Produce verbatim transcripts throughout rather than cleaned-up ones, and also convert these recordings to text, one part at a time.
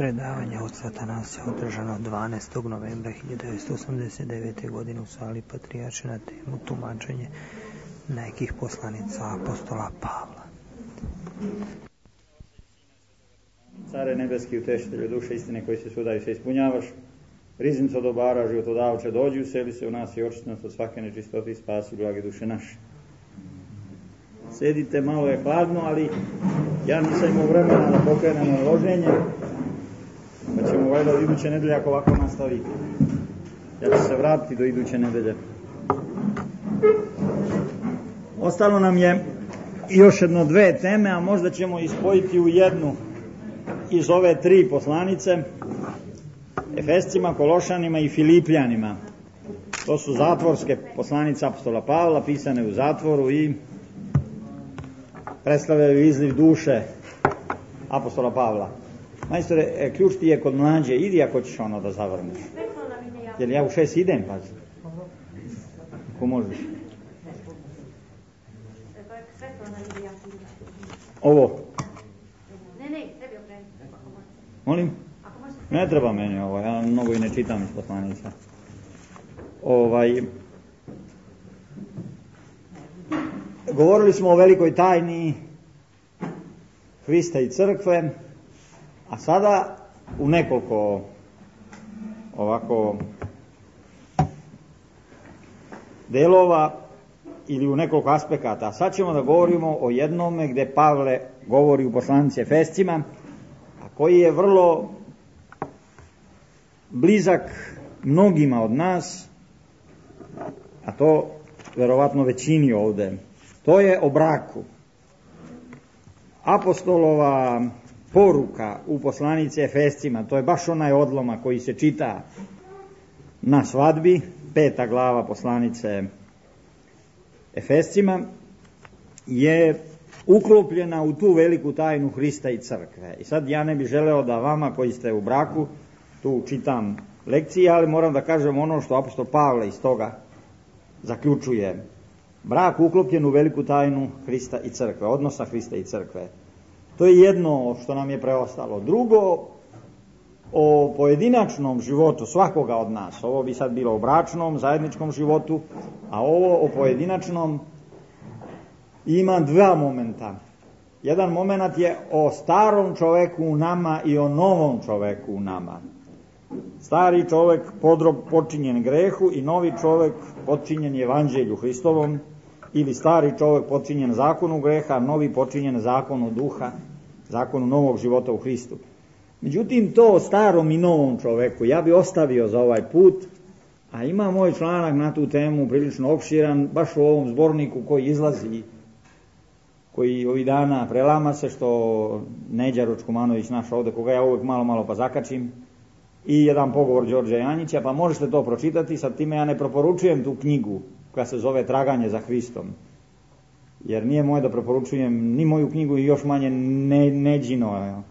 Predavanje oca Atanasija održano dvanaestog novembra hiljadu devetsto osamdeset devete. godine u sali Patrijaršije na temu tumačenje nekih poslanica apostola Pavla. Care nebeski, utešitelju duše istine koji se sudaju se ispunjavaš, riznico dobara, životodavče, dođi, useli se u nas i očisti nas od svake nečistote i spasi blage duše naše. Sedite, malo je hladno, ali ja nisam imao vremena da pokrenem loženje, pa ćemo valjda od iduće nedelje ako ovako nastavi. Ja ću se vratiti do iduće nedelje. Ostalo nam je još jedno dve teme, a možda ćemo ispojiti u jednu iz ove tri poslanice, Efescima, Kološanima i Filipljanima. To su zatvorske poslanice apostola Pavla, pisane u zatvoru i predstavljaju izliv duše apostola Pavla. Majstore, ključ ti je kod mlađe, idi ako ćeš ono da zavrneš. Jer ja u šest idem, pazi. Ako možeš. Ovo. Ne, ne, tebi okrenuti. Molim? Ne treba meni ovo, ja mnogo i ne čitam iz poslanica. Ovaj... Govorili smo o velikoj tajni Hrista i crkve, a sada u nekoliko ovako delova ili u nekoliko aspekata. A sad ćemo da govorimo o jednome gde Pavle govori u poslanici Efescima, a koji je vrlo blizak mnogima od nas, a to verovatno većini ovde. To je o braku. Apostolova poruka u poslanici Efescima, to je baš onaj odlomak koji se čita na svadbi, peta glava poslanice Efescima, je uklopljena u tu veliku tajnu Hrista i crkve. I sad ja ne bih želeo da vama koji ste u braku tu čitam lekcije, ali moram da kažem ono što apostol Pavle iz toga zaključuje. Brak uklopljen u veliku tajnu Hrista i crkve, odnosa Hrista i crkve. To je jedno što nam je preostalo. Drugo, o pojedinačnom životu svakoga od nas. Ovo bi sad bilo o bračnom, zajedničkom životu, a ovo o pojedinačnom ima dva momenta. Jedan moment je o starom čoveku u nama i o novom čoveku u nama. Stari čovek podrob počinjen grehu i novi čovek počinjen evanđelju Hristovom, ili stari čovek počinjen zakonu greha, a novi počinjen zakonu duha, zakonu novog života u Hristu. Međutim, to o starom i novom čoveku ja bi ostavio za ovaj put, a ima moj članak na tu temu prilično opširan, baš u ovom zborniku koji izlazi, koji ovih dana prelama se, što Neđa Ručkumanović naš ovde, koga ja uvek malo malo pa zakačim, i jedan pogovor Đorđa Janjića, pa možete to pročitati. Sad time ja ne preporučujem tu knjigu koja se zove Traganje za Hristom, jer nije moje da preporučujem ni moju knjigu i još manje ne, Neđino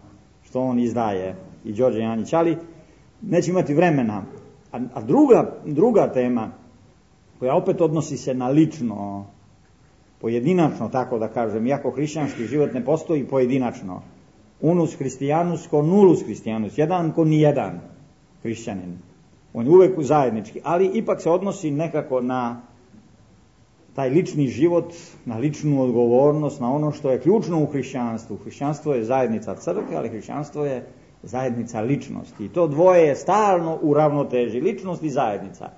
što on izdaje i Đorđe Janjić, ali neće imati vremena. A, a druga, druga tema koja opet odnosi se na lično, pojedinačno, tako da kažem, iako hrišćanski život ne postoji pojedinačno, unus hristijanus ko nulus hristijanus, jedan ko nijedan hrišćanin. On je uvek zajednički, ali ipak se odnosi nekako na taj lični život, na ličnu odgovornost, na ono što je ključno u hrišćanstvu. Hrišćanstvo je zajednica crkve, ali hrišćanstvo je zajednica ličnosti. I to dvoje je stalno u ravnoteži, ličnost i zajednica.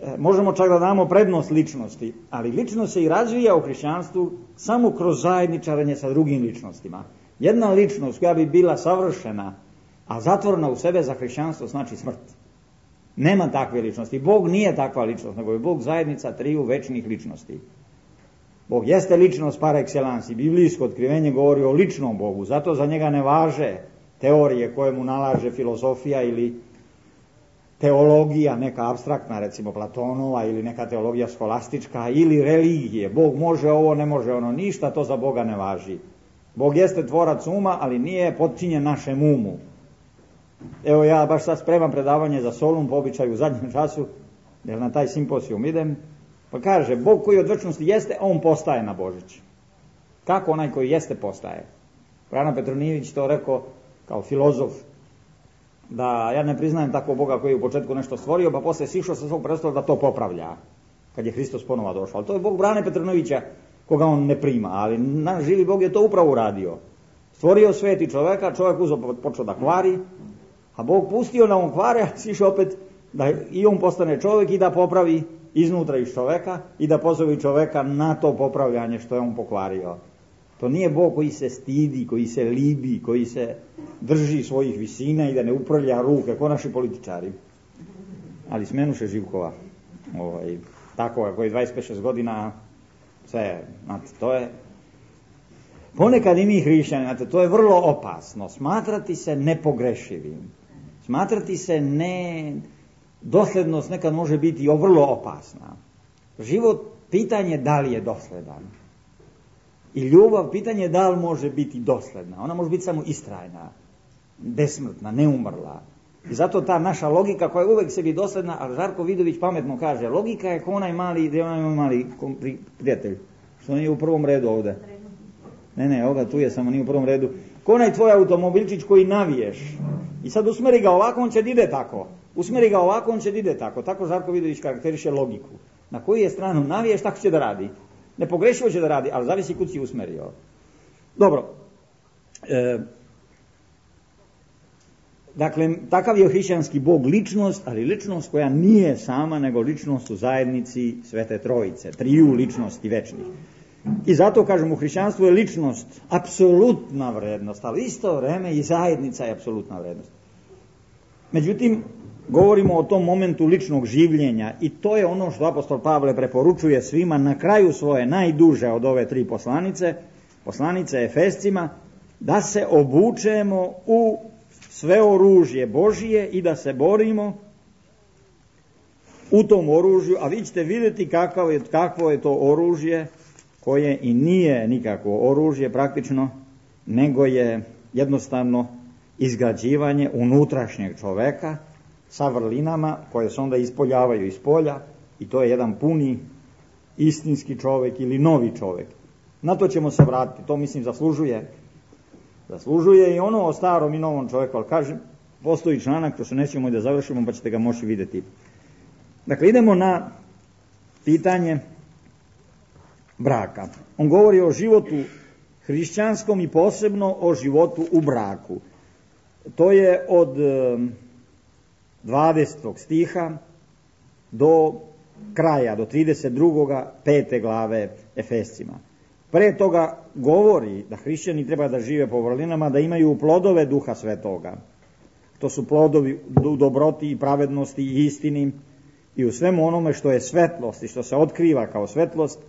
E, možemo čak da damo prednost ličnosti, ali ličnost se i razvija u hrišćanstvu samo kroz zajedničarenje sa drugim ličnostima. Jedna ličnost koja bi bila savršena, a zatvorena u sebe za hrišćanstvo, znači smrt. Nema takve ličnosti. Bog nije takva ličnost, nego je Bog zajednica triju večnih ličnosti. Bog jeste ličnost par excellence i biblijsko otkrivenje govori o ličnom Bogu, zato za njega ne važe teorije koje mu nalaže filozofija ili teologija, neka apstraktna, recimo Platonova, ili neka teologija skolastička, ili religije. Bog može ovo, ne može ono, ništa to za Boga ne važi. Bog jeste tvorac uma, ali nije potčinjen našem umu. Evo ja baš sad spremam predavanje za Solun po običaju u zadnjem času, jer na taj simposijum idem, pa kaže, Bog koji od večnosti jeste, on postaje na Božić. Kako onaj koji jeste postaje? Frana Petronijević to rekao kao filozof da ja ne priznajem takvog Boga koji je u početku nešto stvorio, pa posle sišao sa svog prestola da to popravlja, kad je Hristos ponova došao. Ali to je Bog Brane Petrnovića, koga on ne prima, ali naš živi Bog je to upravo uradio. Stvorio svet i čoveka, čovjek uzeo počeo da kvari, a Bog pustio da on kvare, a sišao opet da i on postane čovjek i da popravi iznutra iz čoveka i da pozove čoveka na to popravljanje što je on pokvario. To nije Bog koji se stidi, koji se libi, koji se drži svojih visina i da ne uprlja ruke, ko naši političari. Ali smenuše Živkova, ovaj, tako koji dvadeset pet šest godina, sve, znate, to je... Ponekad i mi hrišćani, znate, to je vrlo opasno, smatrati se nepogrešivim, smatrati se ne... Doslednost nekad može biti vrlo opasna. Život, pitanje da li je dosledan. I ljubav, pitanje da li može biti dosledna. Ona može biti samo istrajna, besmrtna, neumrla. I zato ta naša logika koja je uvek sebi dosledna, ali Žarko Vidović pametno kaže, logika je ko onaj mali, gdje onaj mali prijatelj, što nije u prvom redu ovdje. Ne, ne, ovoga tu je, samo nije u prvom redu. Ko onaj tvoj automobilčić koji naviješ. I sad usmeri ga ovako, on će da ide tako. Usmeri ga ovako, on će da ide tako. Tako Žarko Vidović karakteriše logiku. Na koju je stranu naviješ, tako će da radi. Nepogrešivo će da radi, ali zavisi kud si usmerio. Dobro. E, dakle, takav je hrišćanski Bog ličnost, ali ličnost koja nije sama, nego ličnost u zajednici Svete Trojice, triju ličnosti večnih. I zato, kažem, u hrišćanstvu je ličnost apsolutna vrednost, ali isto vreme i zajednica je apsolutna vrednost. Međutim, govorimo o tom momentu ličnog življenja i to je ono što apostol Pavle preporučuje svima na kraju svoje najduže od ove tri poslanice, poslanice Efescima, da se obučemo u sve oružje Božije i da se borimo u tom oružju, a vi ćete vidjeti kakvo je, kakvo je to oružje koje i nije nikakvo oružje praktično, nego je jednostavno izgrađivanje unutrašnjeg čoveka sa vrlinama koje se onda ispoljavaju iz polja i to je jedan puni istinski čovek ili novi čovek. Na to ćemo se vratiti, to mislim zaslužuje. Zaslužuje i ono o starom i novom čoveku, ali kažem, postoji članak, to se nećemo i da završimo, pa ćete ga moći vidjeti. Dakle, idemo na pitanje braka. On govori o životu hrišćanskom i posebno o životu u braku. To je od dvadesetog stiha do kraja, do trideset drugog pete glave Efescima. Pre toga govori da hrišćani treba da žive po vrlinama, da imaju plodove Duha Svetoga. To su plodovi u dobroti i pravednosti i istini i u svemu onome što je svetlost i što se otkriva kao svetlost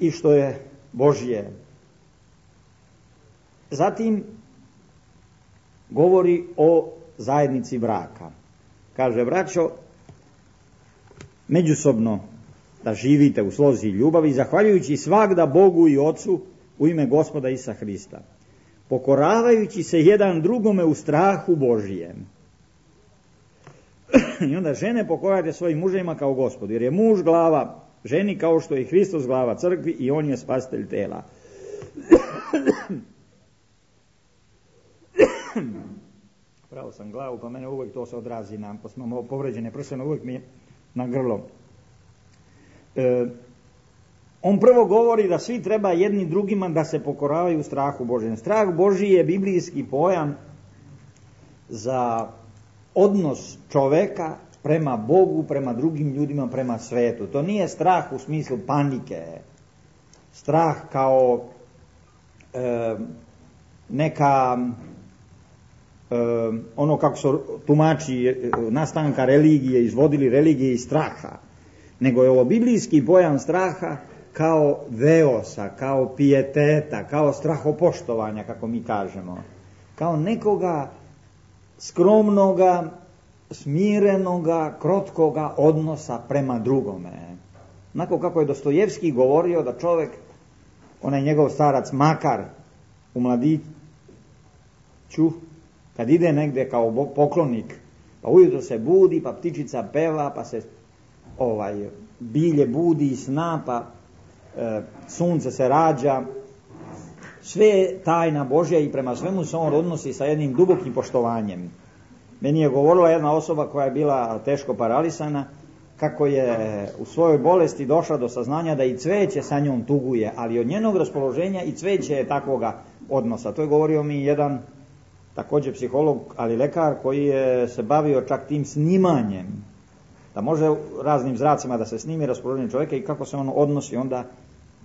i što je Božje. Zatim govori o zajednici braka. Kaže, braćo, međusobno da živite u slozi i ljubavi, zahvaljujući svagda Bogu i Ocu u ime Gospoda Isusa Hrista, pokoravajući se jedan drugome u strahu Božijem. I onda žene pokorajte svojim muževima kao Gospodu, jer je muž glava ženi kao što je Hristos glava crkvi i on je spasitelj tela. Pravo sam glavu, pa mene uvijek to se odrazi na povređene prsene, uvijek mi je na grlo. E, on prvo govori da svi treba jedni drugima da se pokoravaju strahu Božijem. Strah Božiji je biblijski pojam za odnos čoveka prema Bogu, prema drugim ljudima, prema svetu. To nije strah u smislu panike, strah kao e, neka e, ono kako su tumači nastanka religije, izvodili religije iz straha, nego je ovo biblijski pojam straha kao veosa, kao pijeteta, kao strahopoštovanja, kako mi kažemo, kao nekoga skromnoga, smirenoga, krotkoga odnosa prema drugome. Onako kako je Dostojevski govorio da čovjek, onaj njegov starac Makar u Mladiću, kad ide negdje kao poklonik, pa ujutro se budi, pa ptičica peva, pa se ovaj bilje budi i sna, pa e, sunce se rađa, sve je tajna Božja i prema svemu se on odnosi sa jednim dubokim poštovanjem. Meni je govorila jedna osoba koja je bila teško paralisana, kako je u svojoj bolesti došla do saznanja da i cveće sa njom tuguje, ali od njenog raspoloženja i cveće je takvoga odnosa. To je govorio mi jedan također psiholog, ali lekar koji je se bavio čak tim snimanjem, da može raznim zracima da se snimi raspoloženje čovjeka i kako se on odnosi onda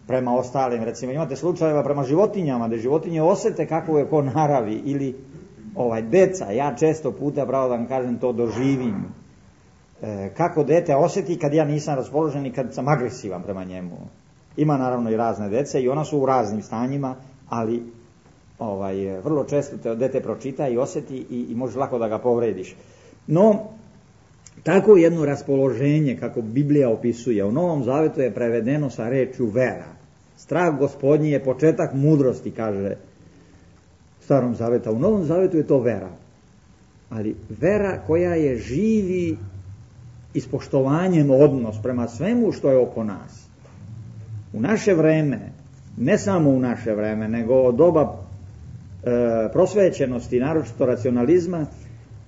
prema ostalim. Recimo imate slučajeva prema životinjama, da životinje osete kako je ko naravi, ili ovaj deca, ja često puta, pravo da vam kažem, to doživim. E, kako dete osjeti kad ja nisam raspoložen i kad sam agresivan prema njemu. Ima naravno i razne dece i ona su u raznim stanjima, ali ovaj, vrlo često te dete pročita i osjeti i, i možeš lako da ga povrediš. No, tako jedno raspoloženje, kako Biblija opisuje, u Novom Zavetu je prevedeno sa rečju vera. Strah Gospodnji je početak mudrosti, kaže Starom Zaveta. U Novom Zavetu je to vera. Ali vera koja je živi ispoštovanjem odnos prema svemu što je oko nas. U naše vreme, ne samo u naše vreme, nego od doba e, prosvećenosti, naročito racionalizma,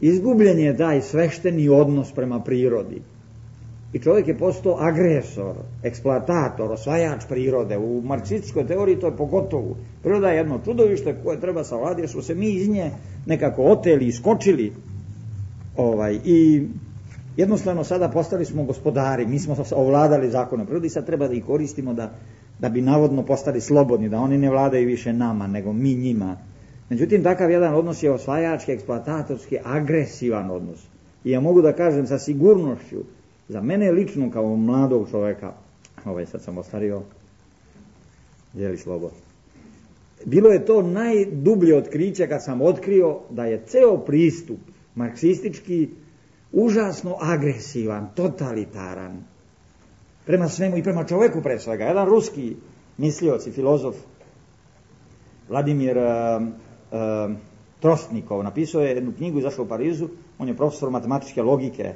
izgubljen je taj svešteni odnos prema prirodi. I čovjek je postao agresor, eksploatator, osvajač prirode. U marksističkoj teoriji to je pogotovo. Priroda je jedno čudovište koje treba savladati, jer smo se mi iz nje nekako oteli, iskočili. Ovaj, I jednostavno sada postali smo gospodari, mi smo ovladali zakonom prirode i sad treba da ih koristimo da, da bi navodno postali slobodni, da oni ne vladaju više nama, nego mi njima. Međutim, takav jedan odnos je osvajački, eksploatatorski, agresivan odnos. I ja mogu da kažem sa sigurnošću, za mene lično kao mladog čovjeka, ovaj sad sam ostario, dijeli slobo, bilo je to najdublje otkriće kad sam otkrio da je ceo pristup marksistički užasno agresivan, totalitaran, prema svemu i prema čovjeku pre svega. Jedan ruski mislioc i filozof, Vladimir uh, uh, Trostnikov, napisao je jednu knjigu, izašla u Parizu, on je profesor matematičke logike,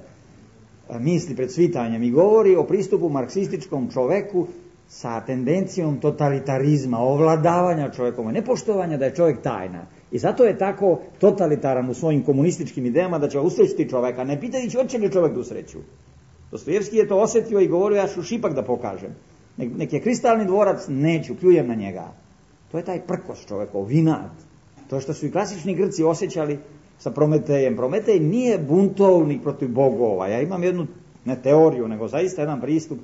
misli pred svitanjem i govori o pristupu marksističkom čoveku sa tendencijom totalitarizma, ovladavanja čovjekom, nepoštovanja da je čovjek tajna. I zato je tako totalitaran u svojim komunističkim idejama da će usrećiti čovjeka, ne pitajući hoće li čovjek da usreću. Dostojevski je to osjetio i govorio, ja ću šipak da pokažem. Nek, nek je kristalni dvorac, neću, pljujem na njega. To je taj prkos čovjekov, vinat. To što su i klasični Grci osjećali sa Prometejem. Prometej nije buntovnik protiv bogova. Ja imam jednu, ne teoriju, nego zaista jedan pristup.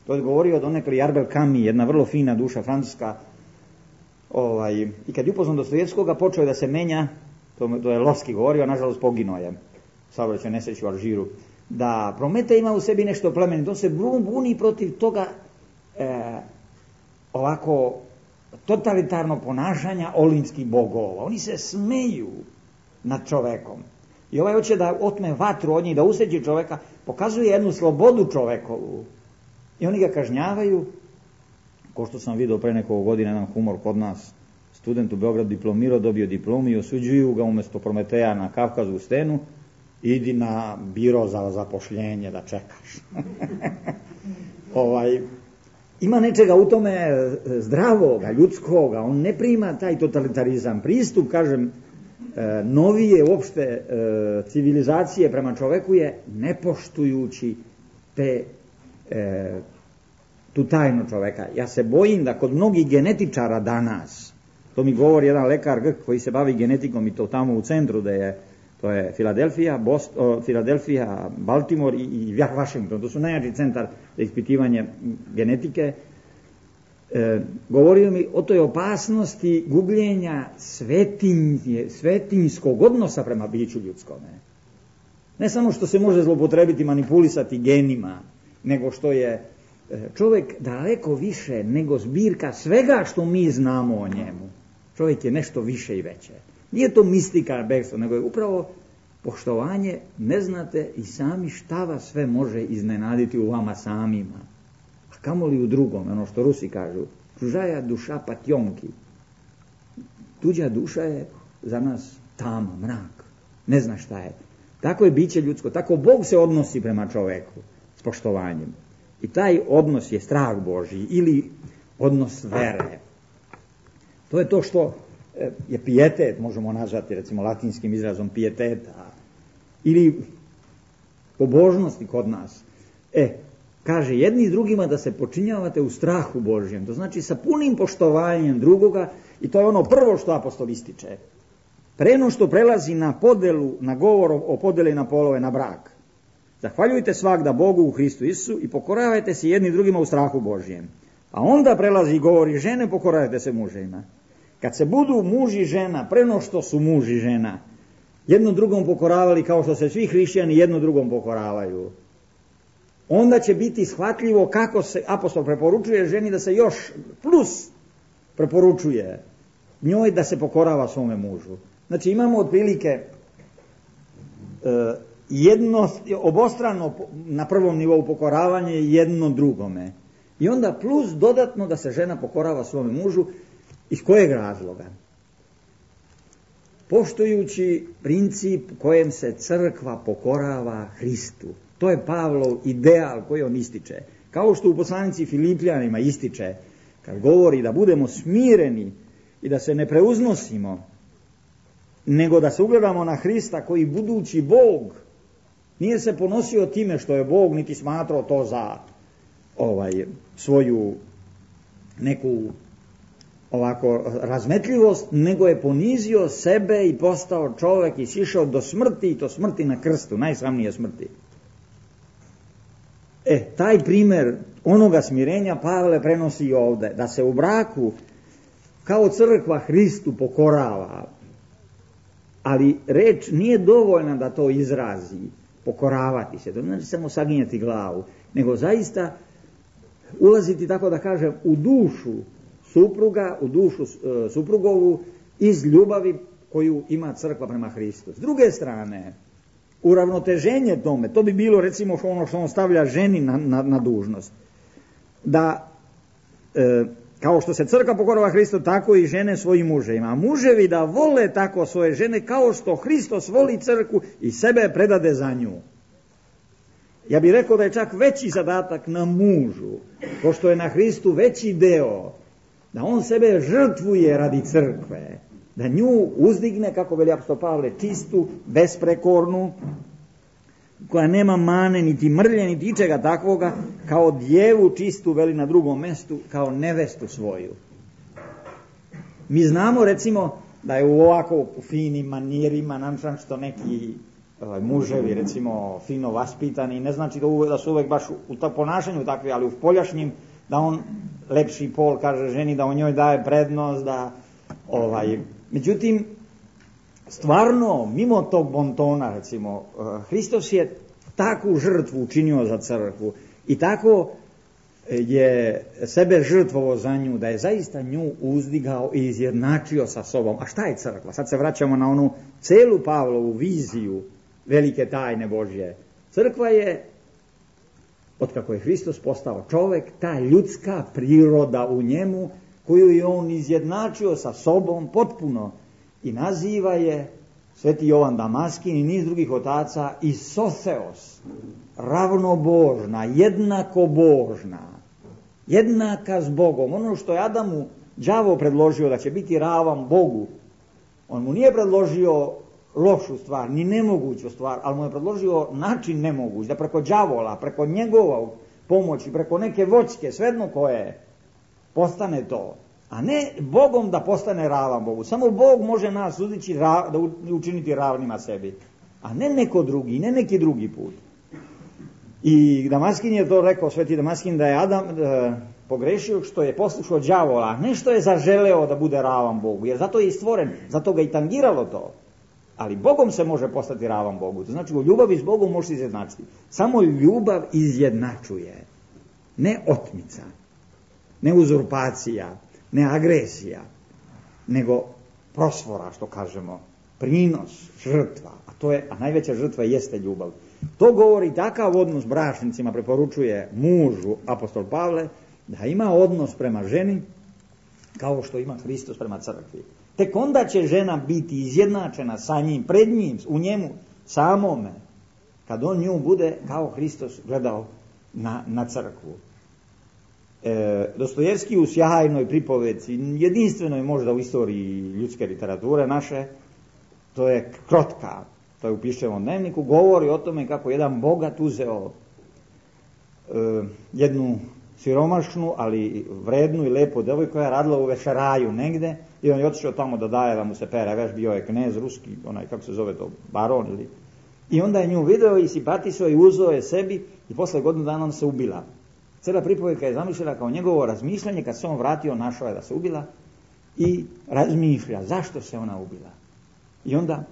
To je govorio donekle Jarbel Camus, jedna vrlo fina duša francuska. Ovaj, I kad je upoznao Dostojevskoga, počeo je da se menja, to, to je Lovski govorio, nažalost poginuo je, saobraćaj nesreću u Alžiru, da Prometej ima u sebi nešto plemenito, on se buni protiv toga e, ovako totalitarnog ponašanja olimpskih bogova. Oni se smeju nad čovekom. I ovaj hoće da otme vatru od njih, da usreći čoveka, pokazuje jednu slobodu čovekovu. I oni ga kažnjavaju, ko što sam vidio pre nekog godina, jedan humor kod nas, student u Beogradu diplomirao, dobio diplomu i osuđuju ga umjesto Prometeja na Kavkazu u stenu, idi na biro za zapošljenje da čekaš. ovaj, ima nečega u tome zdravoga, ljudskoga, on ne prima taj totalitarizam. Pristup, kažem, e, novije uopšte e, civilizacije prema čoveku je nepoštujući te e, tu tajnu čoveka. Ja se bojim da kod mnogih genetičara danas, to mi govori jedan lekar Grk koji se bavi genetikom i to tamo u centru da je, to je Filadelfija, Bost, o, Filadelfija, Baltimore i, i Washington, to su najjači centar za ispitivanje genetike. E, govorio mi o toj opasnosti gubljenja svetinje, svetinjskog odnosa prema biću ljudskome. Ne samo što se može zloupotrebiti, manipulisati genima, nego što je čovjek daleko više nego zbirka svega što mi znamo o njemu. Čovjek je nešto više i veće. Nije to mistika, bekstvo, nego je upravo poštovanje, ne znate i sami šta vas sve može iznenaditi u vama samima. A kamoli u drugom, ono što Rusi kažu, čužaja duša patjonki. Tuđa duša je za nas tama, mrak. Ne zna šta je. Tako je biće ljudsko, tako Bog se odnosi prema čovjeku s poštovanjem. I taj odnos je strah Božji ili odnos vere. To je to što je pijetet, možemo nazvati recimo latinskim izrazom pijeteta. ili pobožnosti kod nas. E, kaže, jedni i drugima da se počinjavate u strahu Božjem, to znači sa punim poštovanjem drugoga, i to je ono prvo što apostol ističe. Preno što prelazi na podelu, na govor o podeli na polove, na brak. Zahvaljujte svagda Bogu u Hristu Isusu i pokoravajte se jedni drugima u strahu Božjem. A onda prelazi govor i žene, pokoravajte se muževima. Kad se budu muž i žena, preno što su muž i žena, jedno drugom pokoravali kao što se svi hrišćani jedno drugom pokoravaju, onda će biti shvatljivo kako se apostol preporučuje ženi da se još plus preporučuje njoj da se pokorava svome mužu. Znači imamo otprilike e, jedno, obostrano na prvom nivou pokoravanje jedno drugome. I onda plus dodatno da se žena pokorava svome mužu. Iz kojeg razloga? Poštujući princip kojem se crkva pokorava Hristu. To je Pavlov ideal koji on ističe. Kao što u poslanici Filipljanima ističe, kad govori da budemo smireni i da se ne preuznosimo, nego da se ugledamo na Hrista koji budući Bog nije se ponosio time što je Bog, niti smatrao to za ovaj, svoju neku ovako razmetljivost, nego je ponizio sebe i postao čovjek i sišao do smrti, i to smrti na krstu, najsramnije smrti. E, taj primjer onoga smirenja Pavle prenosi i ovdje, da se u braku kao crkva Hristu pokorava, ali reč nije dovoljna da to izrazi, pokoravati se, to znači samo saginjati glavu, nego zaista ulaziti, tako da kažem, u dušu supruga, u dušu e, suprugovu iz ljubavi koju ima crkva prema Hristu. S druge strane, uravnoteženje tome, to bi bilo recimo ono što on stavlja ženi na, na, na dužnost, da e, kao što se crkva pokorava Hristu, tako i žene svojim muževima. A muževi da vole tako svoje žene kao što Hristos voli crkvu i sebe predade za nju. Ja bih rekao da je čak veći zadatak na mužu, pošto je na Hristu veći deo, da on sebe žrtvuje radi crkve, da nju uzdigne, kako veli apostol Pavle, čistu, besprekornu, koja nema mane, niti mrlje, niti ičega takvoga, kao djevu čistu, veli na drugom mestu, kao nevestu svoju. Mi znamo, recimo, da je u ovako u finim manirima, nam što neki ovaj, muževi, recimo, fino vaspitani, ne znači da, uve, da su uvek baš u, u to ponašanju takvi, ali u poljašnjim, da on lepši pol kaže ženi, da on njoj daje prednost, da ovaj, međutim, stvarno, mimo tog bontona, recimo, Hristos je takvu žrtvu učinio za crkvu i tako je sebe žrtvovo za nju, da je zaista nju uzdigao i izjednačio sa sobom. A šta je crkva? Sad se vraćamo na onu celu Pavlovu viziju velike tajne Božje. Crkva je, otkako je Hristos postao čovjek, ta ljudska priroda u njemu, koju je on izjednačio sa sobom potpuno, i naziva je Sveti Jovan Damaskin i niz drugih otaca isotheos, ravnobožna, jednako božna, jednaka s Bogom. Ono što je Adamu đavo predložio da će biti ravan Bogu, on mu nije predložio lošu stvar, ni nemoguću stvar, ali mu je predložio način nemoguć, da preko đavola, preko njegova pomoći, preko neke voćke, svejedno koje, postane to. A ne Bogom da postane ravan Bogu. Samo Bog može nas udići, da učiniti ravnima sebi. A ne neko drugi, ne neki drugi put. I Damaskin je to rekao, Sveti Damaskin, da je Adam e, pogrešio što je poslušao đavola, a ne što je zaželeo da bude ravan Bogu. Jer zato je i stvoren, zato ga i tangiralo to. Ali Bogom se može postati ravan Bogu. To znači u ljubavi s Bogom može se izjednačiti. Samo ljubav izjednačuje. Ne otmica, ne uzurpacija, ne agresija, nego prosvora, što kažemo, prinos, žrtva, a to je, a najveća žrtva jeste ljubav. To govori takav odnos bračnicima, preporučuje mužu apostol Pavle, da ima odnos prema ženi kao što ima Hristos prema crkvi. Tek onda će žena biti izjednačena sa njim, pred njim, u njemu samome, kad on nju bude kao Hristos gledao na, na crkvu. E, Dostojevski u sjajnoj pripovedci, jedinstvenoj možda u istoriji ljudske literature naše, to je Krotka, to je u Piščevom dnevniku, govori o tome kako jedan bogat uzeo e, jednu siromašnu, ali vrednu i lepu devojku koja je radila u vešeraju negde i on je otišao tamo da daje da mu se pere veš, bio je knez ruski, onaj kako se zove to, baron ili... I onda je nju video i simpatisao i uzeo je sebi i posle godinu dana on se ubila. Cela pripovjedka je zamišljena kao njegovo razmišljanje, kad se on vratio, našao je da se ubila i razmišlja zašto se ona ubila. I onda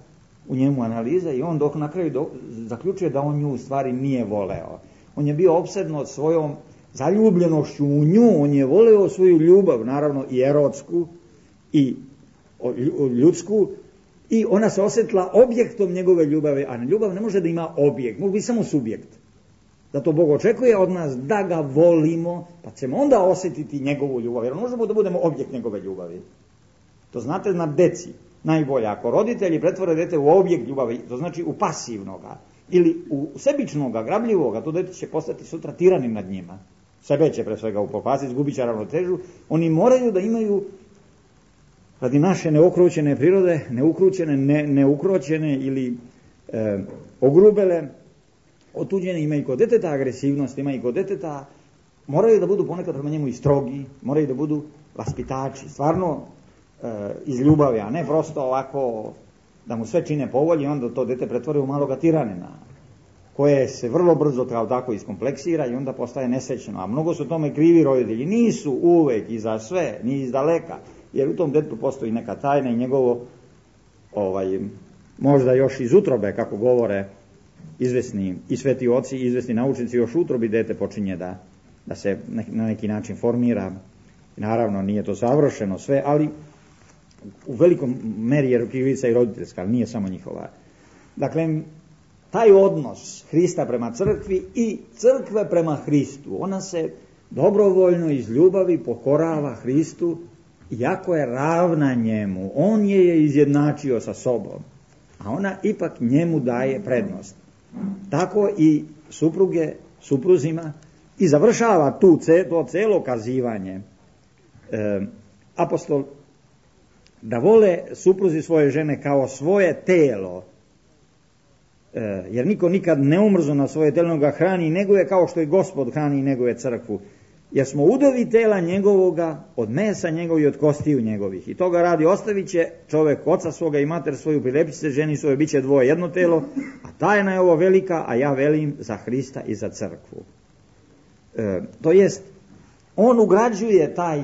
u njemu analiza i on dok na kraju do, zaključuje da on nju u stvari nije voleo. On je bio opsednut svojom zaljubljenošću u nju, on je voleo svoju ljubav, naravno i erotsku i ljudsku, i ona se osjetila objektom njegove ljubave, a ljubav ne može da ima objekt, može biti samo subjekt. Zato Bog očekuje od nas da ga volimo, pa ćemo onda osjetiti njegovu ljubav, jer možemo da budemo objekt njegove ljubavi. To znate na deci najbolje. Ako roditelji pretvore dete u objekt ljubavi, to znači u pasivnoga ili u sebičnoga, grabljivoga, to dete će postati sutra tiranim nad njima. Sebe će pre svega upropastiti, izgubit će ravnotežu. Oni moraju da imaju, radi naše neokrućene prirode, neukrućene, ne, neukroćene ili e, ogrubele, otuđene, ima i kod deteta agresivnost, ima i kod deteta, moraju da budu ponekad prema njemu i strogi, moraju da budu vaspitači, stvarno e, iz ljubavi, a ne prosto ovako da mu sve čine po volji, onda to dete pretvore u maloga tiranina, koje se vrlo brzo kao tako iskompleksira i onda postaje nesrećno. A mnogo su tome krivi roditelji, nisu uvek i za sve, ni iz daleka, jer u tom detetu postoji neka tajna i njegovo, ovaj, možda još iz utrobe, kako govore izvesni i sveti oci i izvesni naučnici, još u utrobi dete počinje da, da se na neki način formira. Naravno, nije to savršeno sve, ali u velikom meri je krivica i roditeljska, ali nije samo njihova. Dakle, taj odnos Hrista prema crkvi i crkve prema Hristu, ona se dobrovoljno iz ljubavi pokorava Hristu, iako je ravna njemu, on je je izjednačio sa sobom, a ona ipak njemu daje prednost. Tako i supruge supruzima i završava tu to celo kazivanje e, apostol da vole supruzi svoje žene kao svoje telo, e, jer niko nikad ne umrzo na svoje telo, ga hrani i neguje kao što i Gospod hrani i neguje crkvu, jer smo udovi tela njegovoga, od mesa njegovih i od kostiju njegovih. I toga radi ostavit će čovek oca svoga i mater svoju, prilepit se ženi svoje, bit će dvoje jedno telo, a tajna je ovo velika, a ja velim za Hrista i za crkvu. E, to jest, on ugrađuje taj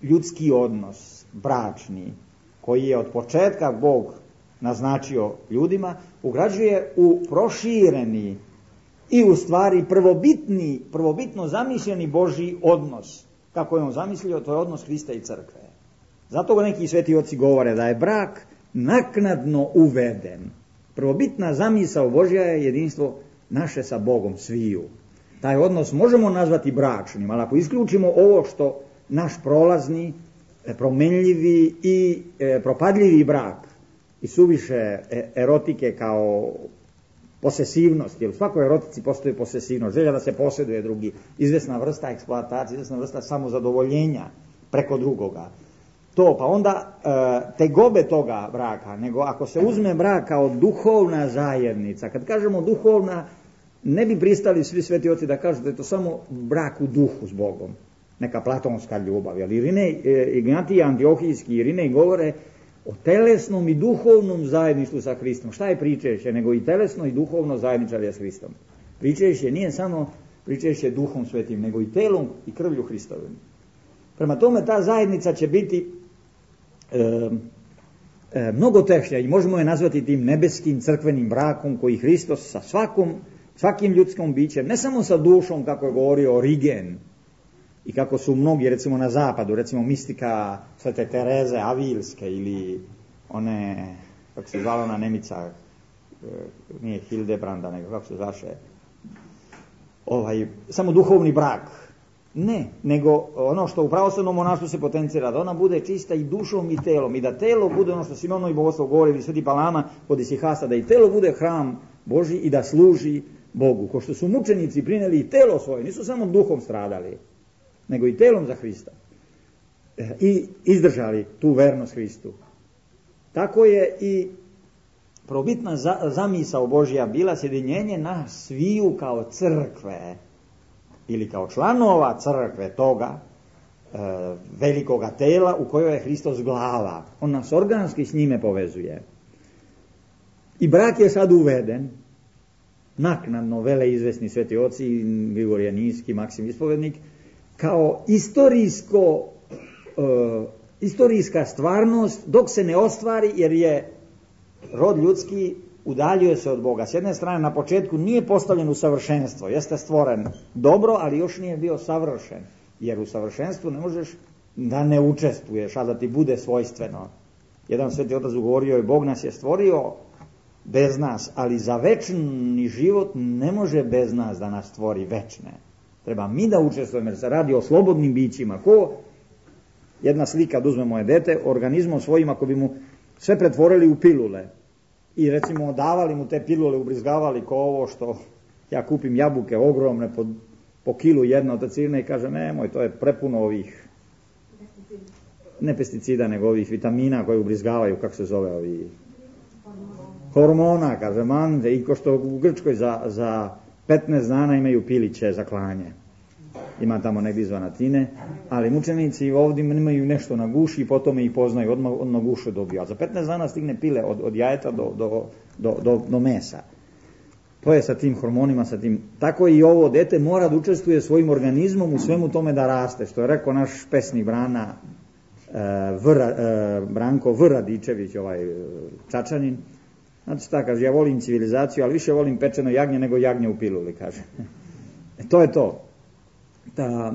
ljudski odnos, bračni, koji je od početka Bog naznačio ljudima, ugrađuje u prošireni i u stvari prvobitni, prvobitno zamišljeni Božji odnos. Kako je on zamislio, to je odnos Hrista i crkve. Zato ga neki sveti oci govore da je brak naknadno uveden. Prvobitna zamisao Božja je jedinstvo naše sa Bogom sviju. Taj odnos možemo nazvati bračnim, ali ako isključimo ovo što naš prolazni, promenljivi i e, propadljivi brak i suviše erotike kao posesivnost, jer u svakoj erotici postoji posesivnost, želja da se posjeduje drugi, izvesna vrsta eksploatacije, izvesna vrsta samozadovoljenja preko drugoga. To, pa onda e, tegobe toga braka, nego ako se uzme brak kao duhovna zajednica, kad kažemo duhovna, ne bi pristali svi sveti oci da kažu da je to samo brak u duhu s Bogom, neka platonska ljubav, jer Irinej, e, Ignatije Antiohijski i Irinej govore o telesnom i duhovnom zajedništvu sa Hristom. Šta je pričešće, nego i telesno i duhovno zajedničarje s Hristom. Pričešće nije samo pričešće duhom svetim, nego i telom i krvlju Hristovim. Prema tome ta zajednica će biti e, e, mnogo tešnja i možemo je nazvati tim nebeskim crkvenim brakom koji Hristos sa svakom, svakim ljudskom bićem, ne samo sa dušom kako je govorio Origen i kako su mnogi recimo na zapadu, recimo mistika Svete Tereze Avilske ili one, kako se zvala ona Nemica, nije Hildebranda, nego kako se zvaše, ovaj, samo duhovni brak. Ne, nego ono što u pravoslavnom monaštvu se potencira, da ona bude čista i dušom i telom, i da telo bude ono što Simono i Bogoslov govori, Sveti Palama kod Isihasta, da i telo bude hram Božji i da služi Bogu. Ko što su mučenici prineli i telo svoje, nisu samo duhom stradali, nego i telom za Hrista. I izdržali tu vernost Hristu. Tako je i probitna za, zamisao Božja bila sjedinjenje nas sviju kao crkve ili kao članova crkve toga e, velikoga tela u kojoj je Hristos glava. On nas organski s njime povezuje. I brak je sad uveden, naknadno vele izvesni sveti oci, Grigorije Niski, Maksim Ispovednik, kao istorijsko, e, istorijska stvarnost dok se ne ostvari, jer je rod ljudski udaljio se od Boga. S jedne strane, na početku nije postavljen u savršenstvo, jeste stvoren dobro, ali još nije bio savršen, jer u savršenstvu ne možeš da ne učestvuješ, a da ti bude svojstveno. Jedan sveti otac govorio je, Bog nas je stvorio bez nas, ali za večni život ne može bez nas da nas stvori večne. Treba mi da učestvujemo, jer se radi o slobodnim bićima. Ko jedna slika, da uzmemo je dete, organizmom svojim, ako bi mu sve pretvorili u pilule i recimo davali mu te pilule, ubrizgavali ko ovo što ja kupim jabuke ogromne po, po kilu jedna od tacirne i kažem, nemoj, to je prepuno ovih ne pesticida, nego ovih vitamina koje ubrizgavaju, kako se zove, ovi hormona, kaže man, i ko što u Grčkoj za, za petnaest dana imaju piliće za klanje. Ima tamo negdje izvan Atine, ali mučenici ovdje imaju nešto na guši i potom ih poznaju, odmah, odmah gušu dobiju. A za petnaest dana stigne pile od, od jajeta do, do, do, do, do mesa. To je sa tim hormonima, sa tim. Tako i ovo dete mora da učestvuje svojim organizmom u svemu tome da raste. Što je rekao naš pesnik Brana, e, Vra, e, Branko V. Radičević, ovaj Čačanin. Znači šta kaže, ja volim civilizaciju, ali više volim pečeno jagnje nego jagnje u piluli, kaže. E, to je to. Da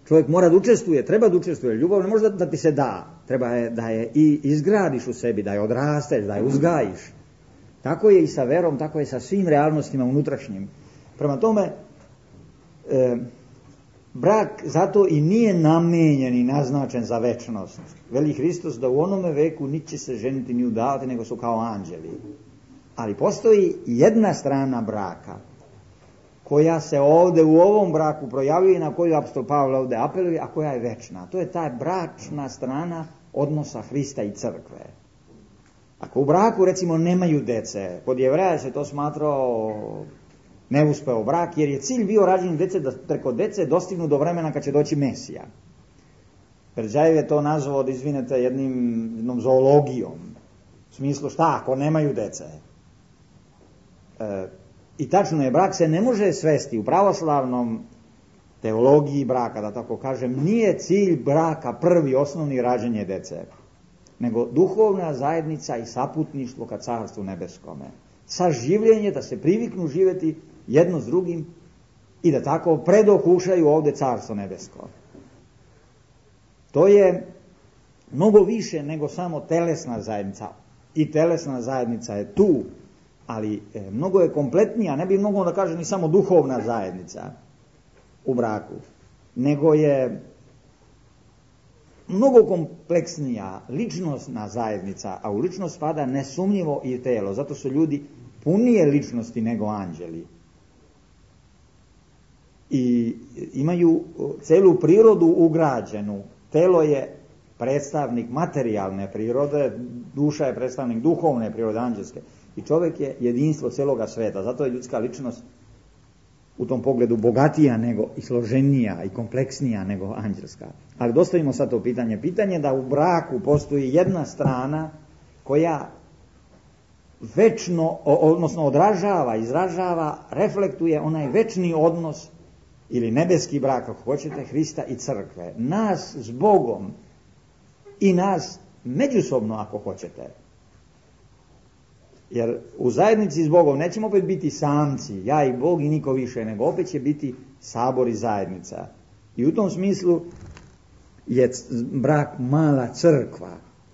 čovjek mora da učestvuje, treba da učestvuje. Ljubav ne može da, da ti se da. Treba je da je i izgradiš u sebi, da je odrasteš, da je uzgajiš. Tako je i sa verom, tako je sa svim realnostima unutrašnjim. Prema tome, e, brak zato i nije namenjen i naznačen za večnost. Veli Hristos da u onome veku niti će se ženiti ni udavati, nego su kao anđeli. Ali postoji jedna strana braka koja se ovdje u ovom braku projavljuje i na koju apostol Pavle ovdje apeluje, a koja je večna. To je ta bračna strana odnosa Hrista i crkve. Ako u braku, recimo, nemaju dece, kod Jevreja se to smatrao neuspeo brak, jer je cilj bio rađenje dece da preko dece dostignu do vremena kad će doći Mesija. Perđajev je to nazvao, da izvinete, jednim, jednom zoologijom. U smislu šta, ako nemaju dece? E, I tačno je, brak se ne može svesti u pravoslavnom teologiji braka, da tako kažem, nije cilj braka prvi, osnovni rađenje dece, nego duhovna zajednica i saputništvo ka carstvu nebeskome. Saživljenje, da se priviknu živjeti jedno s drugim i da tako predokušaju ovdje carstvo nebesko. To je mnogo više nego samo telesna zajednica. I telesna zajednica je tu, ali e, mnogo je kompletnija, ne bi mogao da kažem ni samo duhovna zajednica u braku, nego je mnogo kompleksnija ličnostna zajednica, a u ličnost spada nesumnjivo i telo, zato su ljudi punije ličnosti nego anđeli. I imaju celu prirodu ugrađenu. Telo je predstavnik materijalne prirode, duša je predstavnik duhovne prirode, anđelske. I čovjek je jedinstvo celoga sveta, zato je ljudska ličnost u tom pogledu bogatija nego i složenija i kompleksnija nego anđelska. Ali dostavimo sad to pitanje. Pitanje da u braku postoji jedna strana koja večno, odnosno odražava, izražava, reflektuje onaj večni odnos ili nebeski brak, ako hoćete, Hrista i crkve. Nas s Bogom i nas međusobno, ako hoćete. Jer u zajednici s Bogom nećemo opet biti samci, ja i Bog i niko više, nego opet će biti sabor i zajednica. I u tom smislu je brak mala crkva.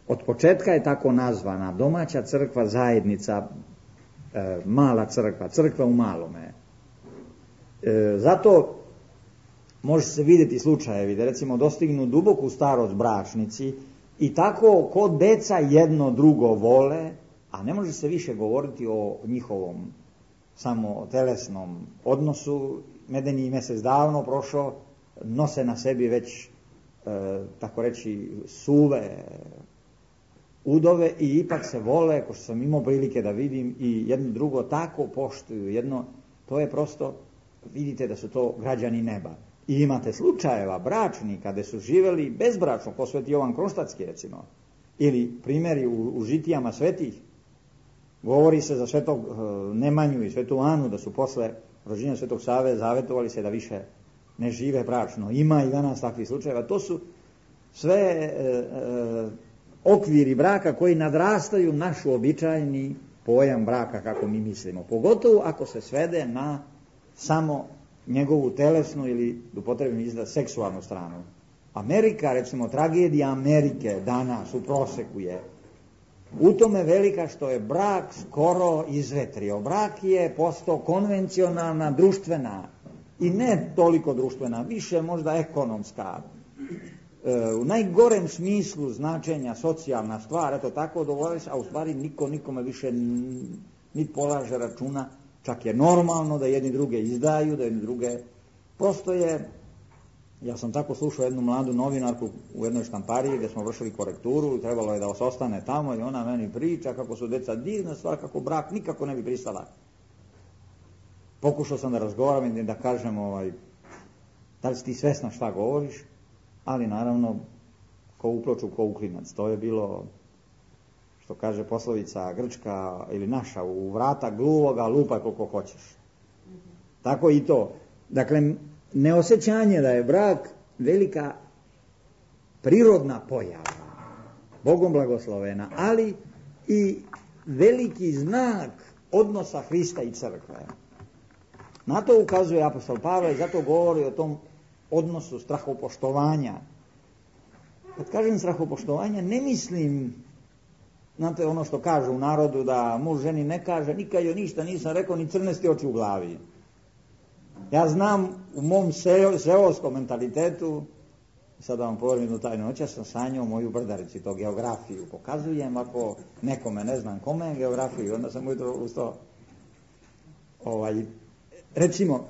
Od početka je tako nazvana, domaća crkva, zajednica, e, mala crkva, crkva u malome. E, zato može se vidjeti slučajevi da recimo dostignu duboku starost bračnici i tako kod deca jedno drugo vole, a ne može se više govoriti o njihovom samo telesnom odnosu. Medeni mjesec davno prošao, nose na sebi već, e, tako reći, suve udove i ipak se vole, ko što sam imao prilike da vidim, i jedno drugo tako poštuju. Jedno, to je prosto, vidite da su to građani neba. I imate slučajeva bračni kada su živeli bezbračno, ko sveti Jovan Kronštatski recimo, ili primjeri u, u žitijama svetih. Govori se za svetog Nemanju i svetu Anu da su posle rođenja svetog Save zavetovali se da više ne žive bračno. Ima i danas takvih slučajeva. To su sve e, e, okviri braka koji nadrastaju naš uobičajeni pojam braka kako mi mislimo. Pogotovo ako se svede na samo njegovu telesnu ili, da upotrebim izraz, seksualnu stranu. Amerika, recimo, tragedija Amerike danas u proseku je u tome velika što je brak skoro izvetrio. Brak je postao konvencionalna, društvena i ne toliko društvena, više možda ekonomska, e, u najgorem smislu značenja socijalna stvar, eto tako dovoljava se, a u stvari niko nikome više niti polaže računa, čak je normalno da jedni druge izdaju, da jedni druge, prosto je. Ja sam tako slušao jednu mladu novinarku u jednoj štampariji gdje smo vršili korekturu i trebalo je da se ostane tamo i ona meni priča kako su deca divna stvar, kako brak nikako ne bi pristala. Pokušao sam da razgovaram i da kažem, ovaj, da li si ti svesna šta govoriš, ali naravno ko u ploču, ko u klinac. To je bilo, što kaže poslovica grčka ili naša, u vrata gluvoga lupaj koliko hoćeš. Tako i to. Dakle, neosjećanje da je brak velika prirodna pojava, Bogom blagoslovena, ali i veliki znak odnosa Hrista i crkve. Na to ukazuje apostol Pavle i zato govori o tom odnosu strahopoštovanja. Kad kažem strahopoštovanja, ne mislim, znate ono što kažu u narodu, da muž ženi ne kaže, nikad joj ništa nisam rekao, ni crnesti oči u glavi. Ja znam u mom seoskom mentalitetu, sada vam povjerim jednu tajnu, noćas sam sanjao moju brdarici, to geografiju pokazujem, ako nekome ne znam kome geografiju, onda sam ujutro ustao. Ovaj, recimo,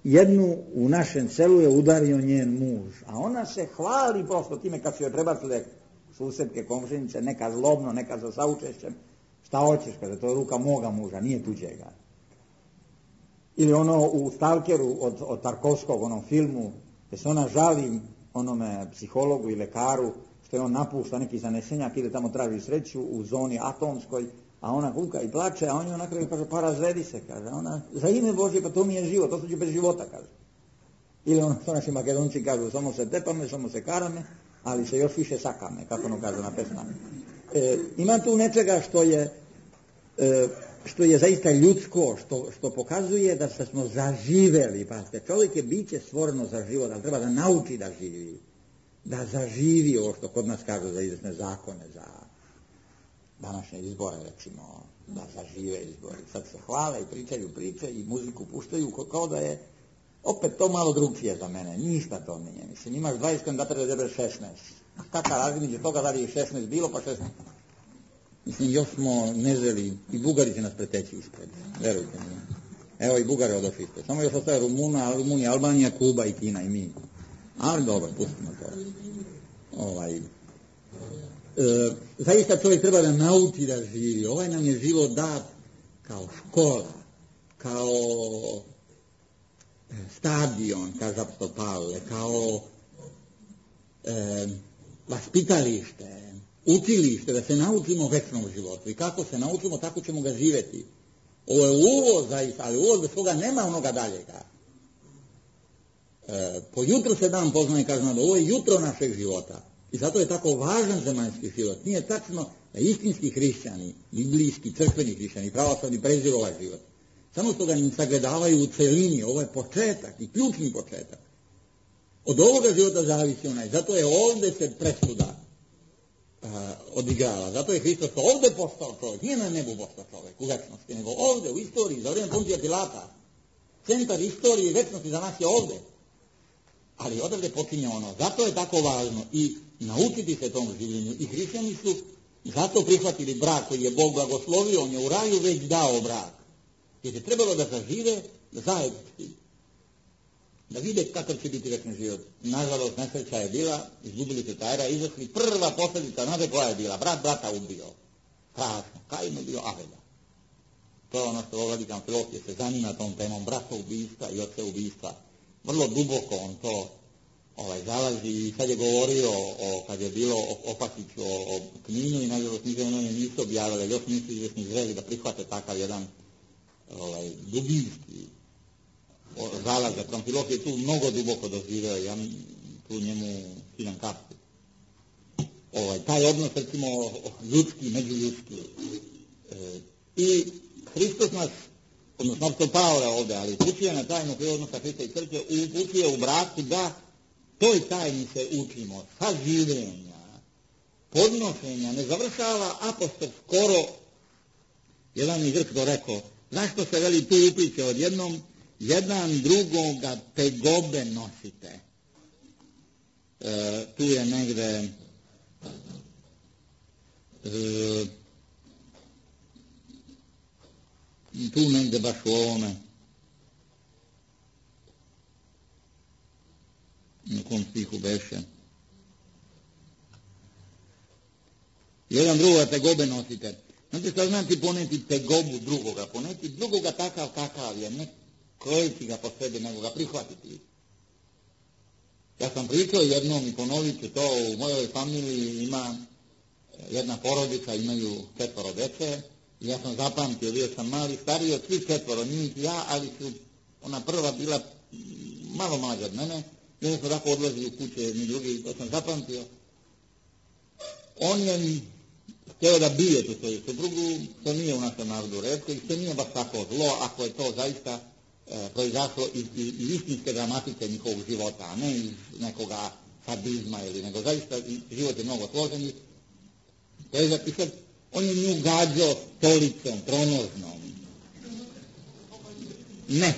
jednu u našem selu je udario njen muž, a ona se hvali prosto time kad su joj prebacile susjedke, komšinice, neka zlobno, neka sa saučešćem, šta hoćeš, kaže, to je ruka moga muža, nije tuđega. Ili ono u Stalkeru od, od Tarkovskog, onom filmu, gdje se ona žali onome psihologu i lekaru, što je on napušta neki zanesenjak, ide tamo traži sreću u zoni atomskoj, a ona kuka i plače, a on je onako kaže, pa razvedi se, kaže, ona, za ime Božje, pa to mi je život, to su će bez života, kaže. Ili ono što naši Makedonci kažu, samo se tepame, samo se karame, ali se još više sakame, kako ono kaže na pesma. E, ima tu nečega što je, e, što je zaista ljudsko, što, što pokazuje da se smo zaživeli, pazite, čovjek je biće stvoreno za život, ali treba da nauči da živi, da zaživi ovo što kod nas kažu za izvesne zakone, za današnje izbore, recimo, da zažive izbori. Sad se hvale i pričaju priče i muziku puštaju kao da je opet to malo drugčije za mene, ništa to nije. Mislim, imaš dvadeset kandidata da izabereš šesnaest. A kakva razlika između toga da li je šesnaest bilo, pa šesnaest. Mislim, još smo nezreli, i Bugari će nas preteći ispred, verujte mi. Evo i Bugare odošli ispred. Samo još ostaje Rumuna, Rumunija, Albanija, Kuba i Kina i mi. Ali dobro, pustimo to. Ovaj, e, zaista čovjek treba da nauči da živi. Ovaj nam je život dat kao škola, kao stadion, kaže apostol Pavle, kao e, vaspitalište, učilište, da se naučimo večnom životu. I kako se naučimo, tako ćemo ga živjeti. Ovo je uvoz, zaista, ali uvoz bez toga nema onoga daljega. E, po jutru se dan poznaje, kaže nam, ovo je jutro našeg života. I zato je tako važan zemaljski život. Nije tačno da istinski hrišćani, biblijski, crkveni hrišćani, pravoslavni preziru ovaj život. Samo što ga ne sagledavaju u celini, ovo je početak i ključni početak. Od ovoga života zavisi onaj. Zato je ovdje se presuda uh, odigrava. Zato je Hristos ovdje postao čovjek. Nije na nebu postao čovjek u večnosti, nego ovdje u istoriji, za vrijeme Pontija Pilata. Centar istorije i večnosti za nas je ovdje. Ali odavde počinje ono. Zato je tako važno i naučiti se tom življenju. I hrišćani su zato prihvatili brak koji je Bog blagoslovio. On je u raju već dao brak. Jer je trebalo da zažive zajednički. da vide kakav će biti večni život. Nažalost, nesreća je bila, izgubili su Kajra, izašli, prva posljedica, znate koja je bila, brat brata ubio. Strašno, Kajin je bio Abela. To je ono što Vladika Amfilohije se zanima tom temom brata ubistva i oca ubistva. Vrlo duboko on to ovaj, zalazi i sad je govorio, o, kad je bilo Opatiću o, o Kninu i nažalost niže ono nisu objavili, još nisu izvjesni zreli da prihvate takav jedan ovaj, dubinski zalaz. Amfilohije je tu mnogo duboko doživio, ja tu njemu skidam kapu. Ovaj, taj odnos, recimo, ljudski, međuljudski. E, I Hristos nas, odnosno opšto Pavle ovdje, ali upućuje na tajnu odnosa Hrista i crkve, upućuje u braku da toj tajni se učimo, saživljenja, podnošenja, ne završava apostol skoro, jedan iz Grčko rekao, zašto se veli tu upliče odjednom, jedan drugoga tegobe nosite. E, tu je negde e, tu negde baš u ovome na kom stihu beše. Jedan drugoga tegobe nosite. Znate šta znači poneti tegobu drugoga? Poneti drugoga takav kakav je, ne krojeći ga po sebi, nego ga prihvatiti. Ja sam pričao jednom i ponovit ću to, u mojoj familiji ima jedna porodica, imaju četvoro dece, i ja sam zapamtio, bio sam mali, stariji od svih četvoro, njih ja, ali su ona prva bila malo mlađa od mene, i onda smo tako odlazili u kuće, mi drugi, to sam zapamtio. On je htio da bije tu svoju suprugu, što nije u našem narodu retko i što nije baš tako zlo, ako je to zaista e, proizašlo iz, iz, iz istinske dramatike njihovog života, a ne iz nekoga sadizma ili nego zaista život je mnogo složeni. To je zapisat, on je nju gađao stolicom, tronožnom. Ne.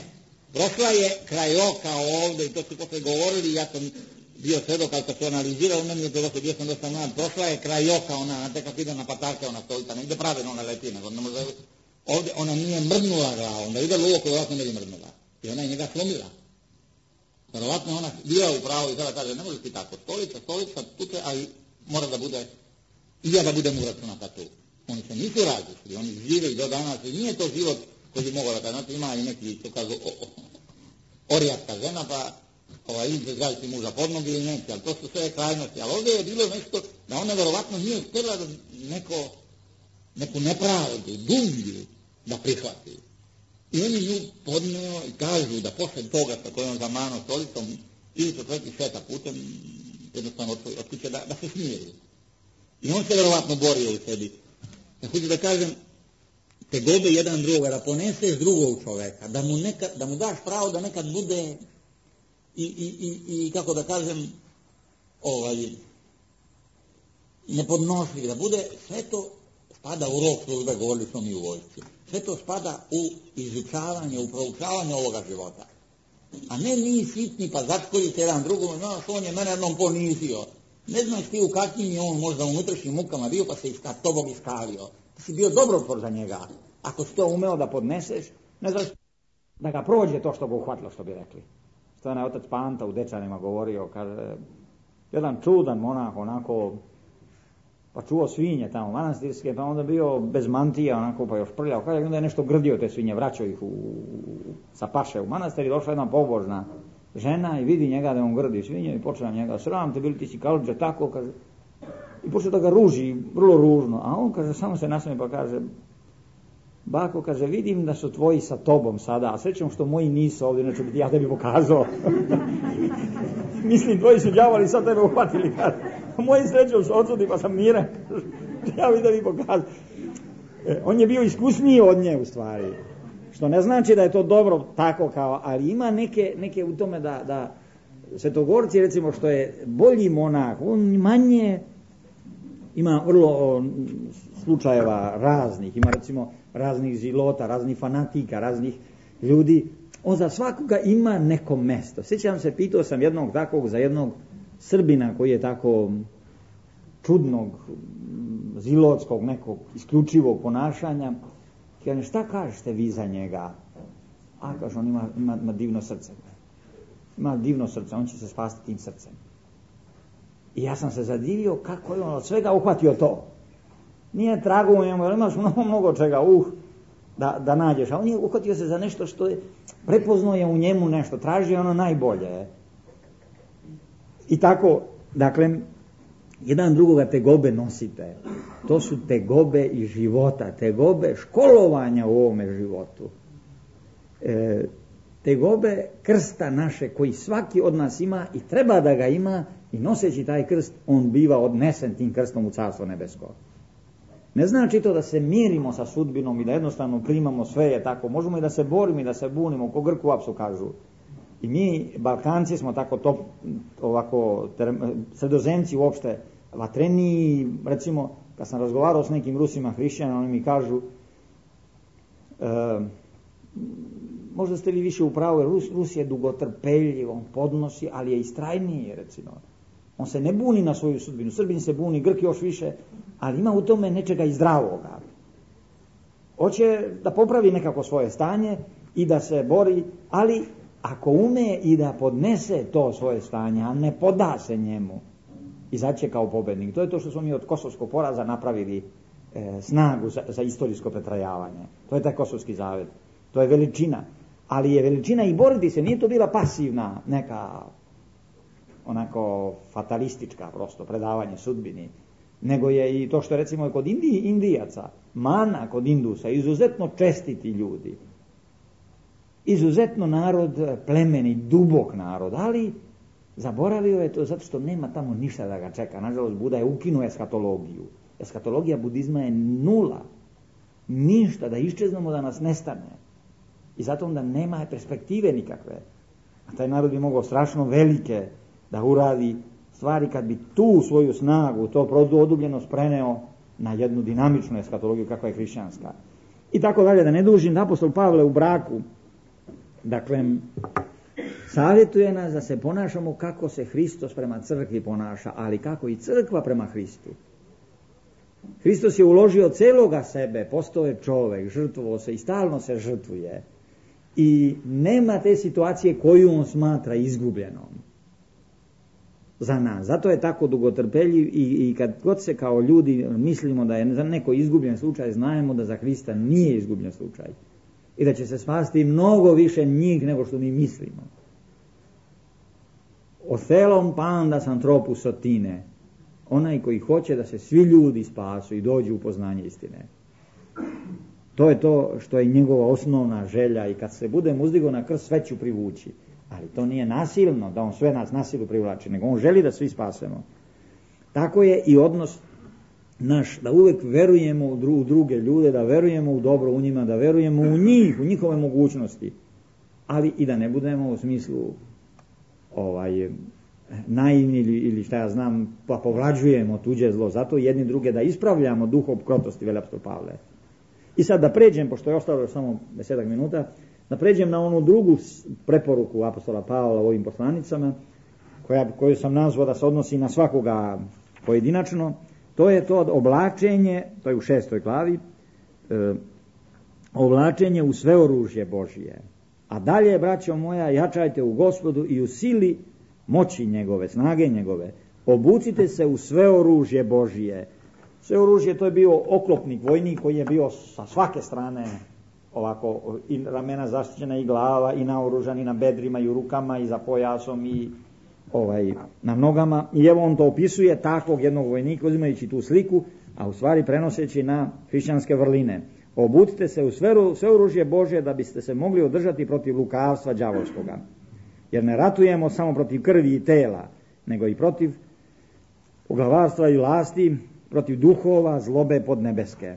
Prošla je kraj oka ovdje i to su posle govorili, ja sam bio svedok, ali kad se analizirao, meni je to dosta, bio sam dosta mlad, prošla je kraj oka, ona, znate kako ide na patarke, ona stolica, negdje pravilno ona leti, nego ne može, ovdje ona nije mrdnula glavom, da ide u oko, vjerojatno ne bi mrdnula. I ona je njega slomila. Vjerojatno ona bila u pravu i sada kaže, ne može ti tako, stolica, stolica, tuče, ali mora da bude, i ja da budem uračunata tu. Oni se nisu različili, oni žive i do danas, i nije to život koji bi mogao da kaže, znate, ima i neki, to kažu, orijatka žena, pa ovaj, ili zgaziti muža pod nogi ili neće, ali to su sve krajnosti. Ali ovdje je bilo nešto da ona verovatno nije htjela da neko, neku nepravdu, dublju da prihvati. I oni nju podneo i kažu da posle toga sa kojom zamano stolicom ili to tveti šeta putem, jednostavno od kuće da, da se smiri. I on se verovatno borio u sebi. Ja hoću da kažem, tegobe jedan drugoga, da poneseš drugog čoveka, da mu, nekad, da mu daš pravo da nekad bude i, i, i, i kako da kažem, ovaj, nepodnošljiv, da bude, sve to spada u rok službe, govorili smo mi u vojsci, sve to spada u izučavanje, u proučavanje ovoga života. A ne mi sitni pa začkolite jedan drugom, znaš, on je mene jednom ponizio. Ne znaš ti u kakvim je on možda unutrašnjim mukama bio, pa se iska, tobom iskalio. Ti si bio dobrotvor za njega. Ako si to umeo da podneseš, ne znaš da ga prođe to što ga uhvatilo, što bi rekli. Što je otac Panta u Dečanima govorio, kaže, jedan čudan monah, onako, pa čuo svinje tamo manastirske, pa onda bio bez mantija, onako, pa još prljao, kaže, onda je nešto grdio te svinje, vraćao ih u, sa paše u manastir i došla jedna pobožna žena i vidi njega da on grdi svinje i počela njega, sram te bili ti si kalđe, tako, kaže, i počeo da ga ruži, vrlo ružno, a on, kaže, samo se nasmeje pa kaže, bako, kaže, vidim da su tvoji sa tobom sada, a srećom što moji nisu ovdje, neću biti ja tebi pokazao. Mislim, tvoji su đavoli sad tebe uhvatili, kaže, moji srećom su odsudi pa sam miran, ja bi tebi pokazao. E, on je bio iskusniji od nje u stvari, što ne znači da je to dobro tako kao, ali ima neke, neke u tome da, da Svetogorci, recimo, što je bolji monah, on manje ima vrlo o, slučajeva raznih, ima recimo raznih zilota, raznih fanatika, raznih ljudi, on za svakoga ima neko mesto. Sjećam se, pitao sam jednog takvog za jednog Srbina koji je tako čudnog, zilotskog, nekog isključivog ponašanja. Kaže, šta kažete vi za njega? A, kaže, on ima, ima, ima divno srce. ima divno srce, on će se spasti tim srcem. I ja sam se zadivio kako je on od svega uhvatio to. Nije trago u njemu, imaš mnogo, mnogo čega, uh, da, da nađeš. A on je uhvatio se za nešto što je, prepoznao je u njemu nešto, traži ono najbolje. I tako, dakle, jedan drugoga tegobe nosite. To su tegobe i života, tegobe školovanja u ovome životu. E, tegobe krsta naše koji svaki od nas ima i treba da ga ima i noseći taj krst, on biva odnesen tim krstom u Carstvo nebesko. Ne znači to da se mirimo sa sudbinom i da jednostavno primamo sve je tako. Možemo i da se borimo i da se bunimo, ko Grku apsu kažu. I mi, Balkanci, smo tako top, ovako, sredozemci uopšte, vatreniji, recimo, kad sam razgovarao s nekim Rusima, hrišćanima, oni mi kažu, e, možda ste vi više u pravu, jer Rus, Rus je dugotrpeljiv, on podnosi, ali je istrajniji, recimo. On se ne buni na svoju sudbinu, Srbin se buni, Grk još više, ali ima u tome nečega i zdravoga. Hoće da popravi nekako svoje stanje i da se bori, ali ako ume i da podnese to svoje stanje, a ne poda se njemu, izaće kao pobednik. To je to što smo mi od kosovskog poraza napravili e, snagu za, za istorijsko pretrajavanje. To je taj kosovski zavet. To je veličina. Ali je veličina i boriti se, nije to bila pasivna neka onako fatalistička prosto predavanje sudbini, nego je i to što recimo kod Indiji, Indijaca, mana kod Indusa, izuzetno čestiti ljudi, izuzetno narod plemeni, dubok narod, ali zaboravio je to zato što nema tamo ništa da ga čeka. Nažalost, Buda je ukinuo eskatologiju. Eskatologija budizma je nula. Ništa, da iščeznemo, da nas nestane. I zato onda nema perspektive nikakve. A taj narod bi mogao strašno velike da uradi stvari kad bi tu svoju snagu, to produbljenost preneo na jednu dinamičnu eskatologiju kakva je hrišćanska. I tako dalje, da ne dužim, apostol Pavle u braku, dakle, savjetuje nas da se ponašamo kako se Hristos prema crkvi ponaša, ali kako i crkva prema Hristu. Hristos je uložio celoga sebe, postao je čovek, žrtvovao se i stalno se žrtvuje. I nema te situacije koju on smatra izgubljenom za nas. Zato je tako dugotrpeljiv i, i kad god se kao ljudi mislimo da je za neko izgubljen slučaj, znajemo da za Hrista nije izgubljen slučaj. I da će se spasti mnogo više njih nego što mi mislimo. Othelom pandas anthropus otine. Onaj koji hoće da se svi ljudi spasu i dođu u poznanje istine. To je to što je njegova osnovna želja i kad se bude uzdigao na krst, sve ću privući. Ali to nije nasilno, da on sve nas nasilu privlači, nego on želi da svi spasemo. Tako je i odnos naš, da uvijek verujemo u, dru, u druge ljude, da verujemo u dobro u njima, da verujemo u njih, u njihove mogućnosti, ali i da ne budemo u smislu ovaj, naivni ili, ili šta ja znam, pa povlađujemo tuđe zlo. Zato jedni druge da ispravljamo duhom krotosti, veli apostol Pavle. I sad da pređem, pošto je ostalo samo desetak minuta, da pređem na onu drugu preporuku apostola Pavla u ovim poslanicama, koja, koju sam nazvao da se odnosi na svakoga pojedinačno. To je to oblačenje, to je u šestoj glavi, e, oblačenje u sve oružje Božije. A dalje, braćo moja, jačajte u Gospodu i u sili moći njegove, snage njegove. Obucite se u sve oružje Božije. Sve oružje, to je bio oklopnik, vojnik koji je bio sa svake strane ovako, i ramena zaštićena i glava, i naoružan, i na bedrima, i u rukama, i za pojasom, i ovaj, na nogama. I evo on to opisuje takvog jednog vojnika, uzimajući tu sliku, a u stvari prenoseći na hrišćanske vrline. Obucite se u sve, sve oružje Božje da biste se mogli održati protiv lukavstva đavolskoga. Jer ne ratujemo samo protiv krvi i tela, nego i protiv poglavarstva i vlasti, protiv duhova zlobe podnebeske.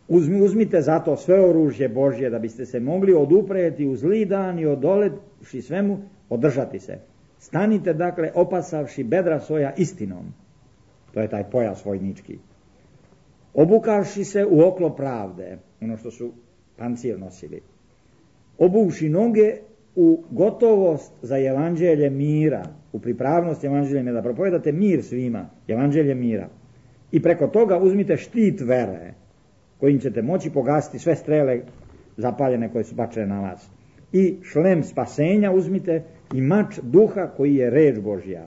Uzmi, uzmite zato sve oružje Božje da biste se mogli odupreti u zli dan i odolevši svemu održati se. Stanite dakle opasavši bedra svoja istinom. To je taj pojas vojnički. Obukavši se u oklop pravde, ono što su pancir nosili. Obuvši noge u gotovost za evanđelje mira, u pripravnost evanđelja da propovedate mir svima, evanđelje mira. I preko toga uzmite štit vere, kojim ćete moći pogasiti sve strele zapaljene koje su bačene na vas. I šlem spasenja uzmite i mač duha koji je reč Božja.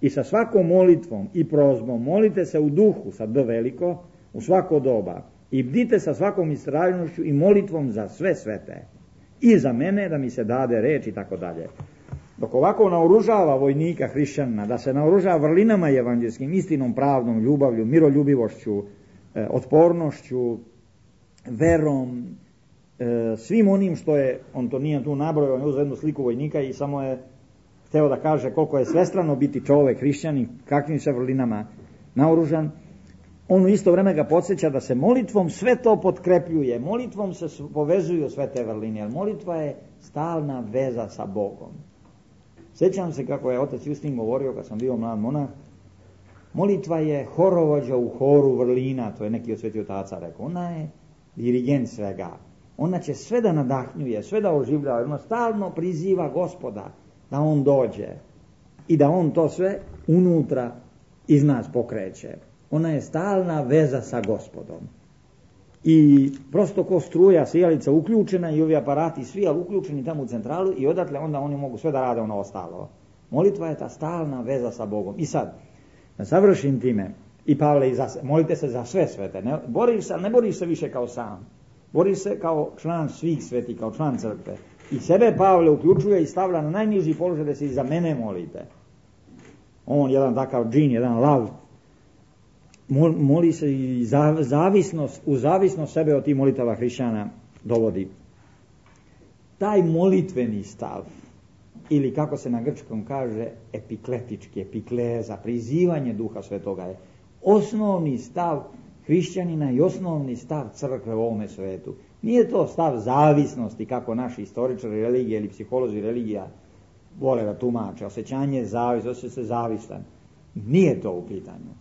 I sa svakom molitvom i prozbom molite se u duhu, sa D veliko, u svako doba. I bdite sa svakom istrajnošću i molitvom za sve svete. I za mene da mi se dade reč i tako dalje. Dok ovako naoružava vojnika hrišćanina, da se naoružava vrlinama evanđelskim, istinom, pravdom, ljubavlju, miroljubivošću, e, otpornošću, verom, e, svim onim što je, on to nije tu nabrojao, on je uzeo jednu sliku vojnika i samo je hteo da kaže koliko je svestrano biti čovek hrišćanin, kakvim se vrlinama naoružan. On u isto vreme ga podsjeća da se molitvom sve to potkrepljuje, molitvom se povezuju sve te vrline, jer molitva je stalna veza sa Bogom. Sjećam se kako je otac Justin govorio kad sam bio mlad monah, molitva je horovođa u horu vrlina, to je neki od svetih otaca rekao, ona je dirigent svega, ona će sve da nadahnjuje, sve da oživljava, ona stalno priziva Gospoda da on dođe i da on to sve unutra iz nas pokreće. Ona je stalna veza sa Gospodom. I prosto ko struja, sijalica uključena i ovi aparati svi, ali uključeni tamo u centralu i odatle onda oni mogu sve da rade ono ostalo. Molitva je ta stalna veza sa Bogom. I sad, da završim time, i Pavle, i za, molite se za sve svete. Ne boriš se, ne boriš se više kao sam. Boriš se kao član svih sveti, kao član crkve. I sebe Pavle uključuje i stavlja na najniži položaj da se i za mene molite. On jedan takav džin, jedan lav, moli se i zavisnost, u zavisnost sebe od tih molitava hrišćana dovodi. Taj molitveni stav, ili kako se na grčkom kaže, epikletički, epikleza, prizivanje Duha Svetoga je osnovni stav hrišćanina i osnovni stav crkve u ovome svetu. Nije to stav zavisnosti, kako naši istoričari religije ili psiholozi religija vole da tumače, osjećanje zavis, osjeća se zavistan. Nije to u pitanju,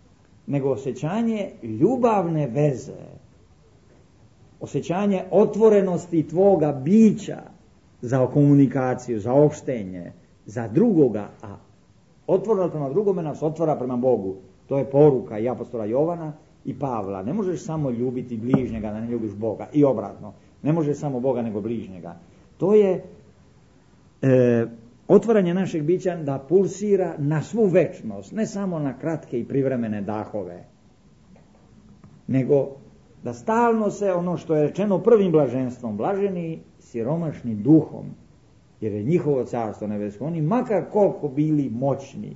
nego osjećanje ljubavne veze, osjećanje otvorenosti tvoga bića za komunikaciju, za opštenje, za drugoga, a otvorenost prema drugome nas otvara prema Bogu. To je poruka i apostola Jovana i Pavla. Ne možeš samo ljubiti bližnjega, da ne ljubiš Boga, i obratno. Ne možeš samo Boga nego bližnjega. To je e, otvaranje našeg bića da pulsira na svu večnost, ne samo na kratke i privremene dahove, nego da stalno se ono što je rečeno prvim blaženstvom, blaženi siromašni duhom, jer je njihovo carstvo nebesko, oni makar koliko bili moćni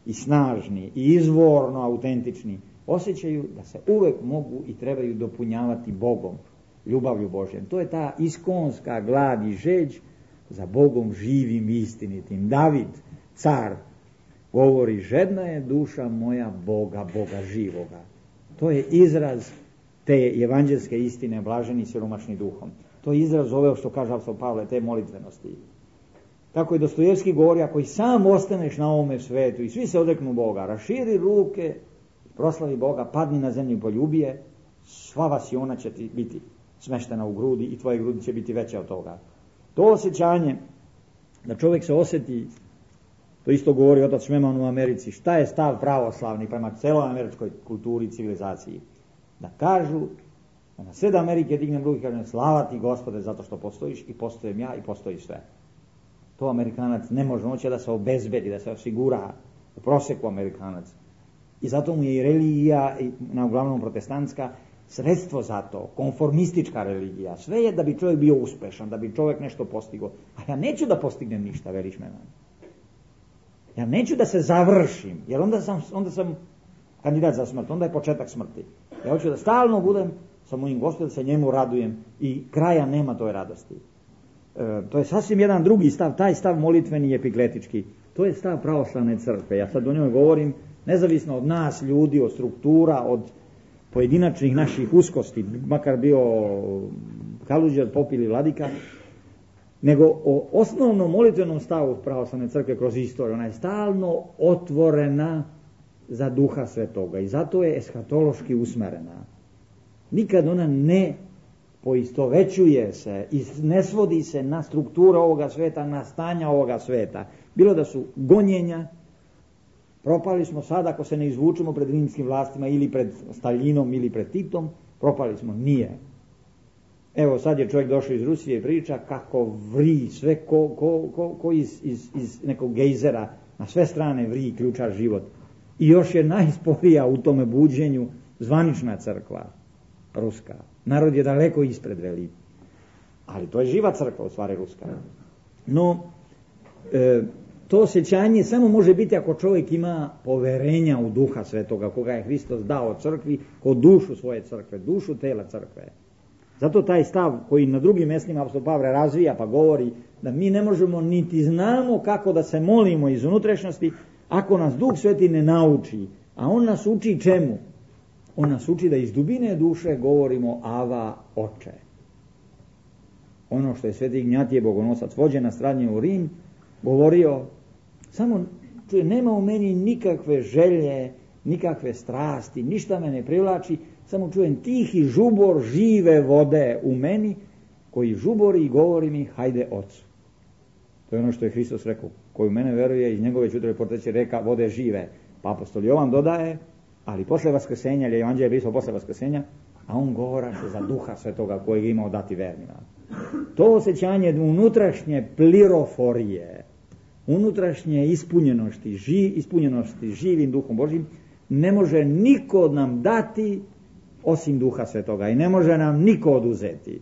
i snažni i izvorno autentični, osjećaju da se uvek mogu i trebaju dopunjavati Bogom, ljubavlju Božjem. To je ta iskonska glad i žeđ za Bogom živim i istinitim. David, car, govori, žedna je duša moja Boga, Boga živoga. To je izraz te evanđelske istine, blaženi siromašni duhom. To je izraz ove, što kaže apostol Pavle, te molitvenosti. Kako je Dostojevski govori, ako i sam ostaneš na ovome svetu i svi se odreknu Boga, raširi ruke, proslavi Boga, padni na zemlju i poljubi je, sva vasiona će ti biti smeštena u grudi i tvoje grudi će biti veće od toga. To osjećanje da čovjek se osjeti, to isto govori otac Šmeman u Americi, šta je stav pravoslavni prema celoj američkoj kulturi i civilizaciji. Da kažu, da na sred Amerike dignem ruke i kažem, slava ti Gospode zato što postojiš i postojem ja i postoji sve. To Amerikanac ne može, on će da se obezbedi, da se osigura u proseku Amerikanac. I zato mu je i religija, na uglavnom protestantska, sredstvo za to, konformistička religija. Sve je da bi čovjek bio uspešan, da bi čovjek nešto postigao. A ja neću da postignem ništa, veriš me. Ja neću da se završim, jer onda sam, onda sam kandidat za smrt, onda je početak smrti. Ja hoću da stalno budem sa mojim Gospodom, da se njemu radujem i kraja nema toj radosti. E, to je sasvim jedan drugi stav, taj stav molitveni i epikletički. To je stav pravoslavne crkve. Ja sad o njoj govorim nezavisno od nas ljudi, od struktura, od pojedinačnih naših uskosti, makar bio Kaluđer, Pop ili Vladika, nego o osnovnom molitvenom stavu pravoslavne crkve kroz istoriju. Ona je stalno otvorena za Duha Svetoga i zato je eshatološki usmerena. Nikad ona ne poistovećuje se i ne svodi se na strukturu ovoga sveta, na stanja ovoga sveta. Bilo da su gonjenja, propali smo sad ako se ne izvučemo pred rimskim vlastima ili pred Staljinom ili pred Titom, propali smo. Nije. Evo sad je čovjek došao iz Rusije i priča kako vri sve ko, ko, ko, ko iz, iz, iz nekog gejzera, na sve strane vri, ključa život. I još je najsporija u tome buđenju zvanična crkva, ruska. Narod je daleko ispred veli. Ali to je živa crkva, u stvari ruska. No, e, to osjećanje samo može biti ako čovjek ima poverenja u Duha Svetoga, koga je Hristos dao crkvi, ko dušu svoje crkve, dušu tela crkve. Zato taj stav koji na drugim mjestima apostol Pavle razvija pa govori da mi ne možemo niti znamo kako da se molimo iz unutrašnjosti ako nas Duh Sveti ne nauči. A on nas uči čemu? On nas uči da iz dubine duše govorimo Ava, Oče. Ono što je Sveti Ignjatije Bogonosac, vođen na stradnje u Rim, govorio, samo čuje, nema u meni nikakve želje, nikakve strasti, ništa me ne privlači, samo čujem tihi žubor žive vode u meni, koji žubori i govori mi, hajde Ocu. To je ono što je Hristos rekao, koji u mene veruje, iz njegove ćutrove porteće reka vode žive. Pa apostol Jovan dodaje, ali posle vaskrsenja, jer je Evanđelje pisao posle vaskrsenja, a on govoraše za Duha Svetoga kojeg je imao dati vernima. To osjećanje unutrašnje pliroforije, unutrašnje ispunjenosti, ži, ispunjenosti živim Duhom Božim, ne može niko od nam dati osim Duha Svetoga i ne može nam niko oduzeti.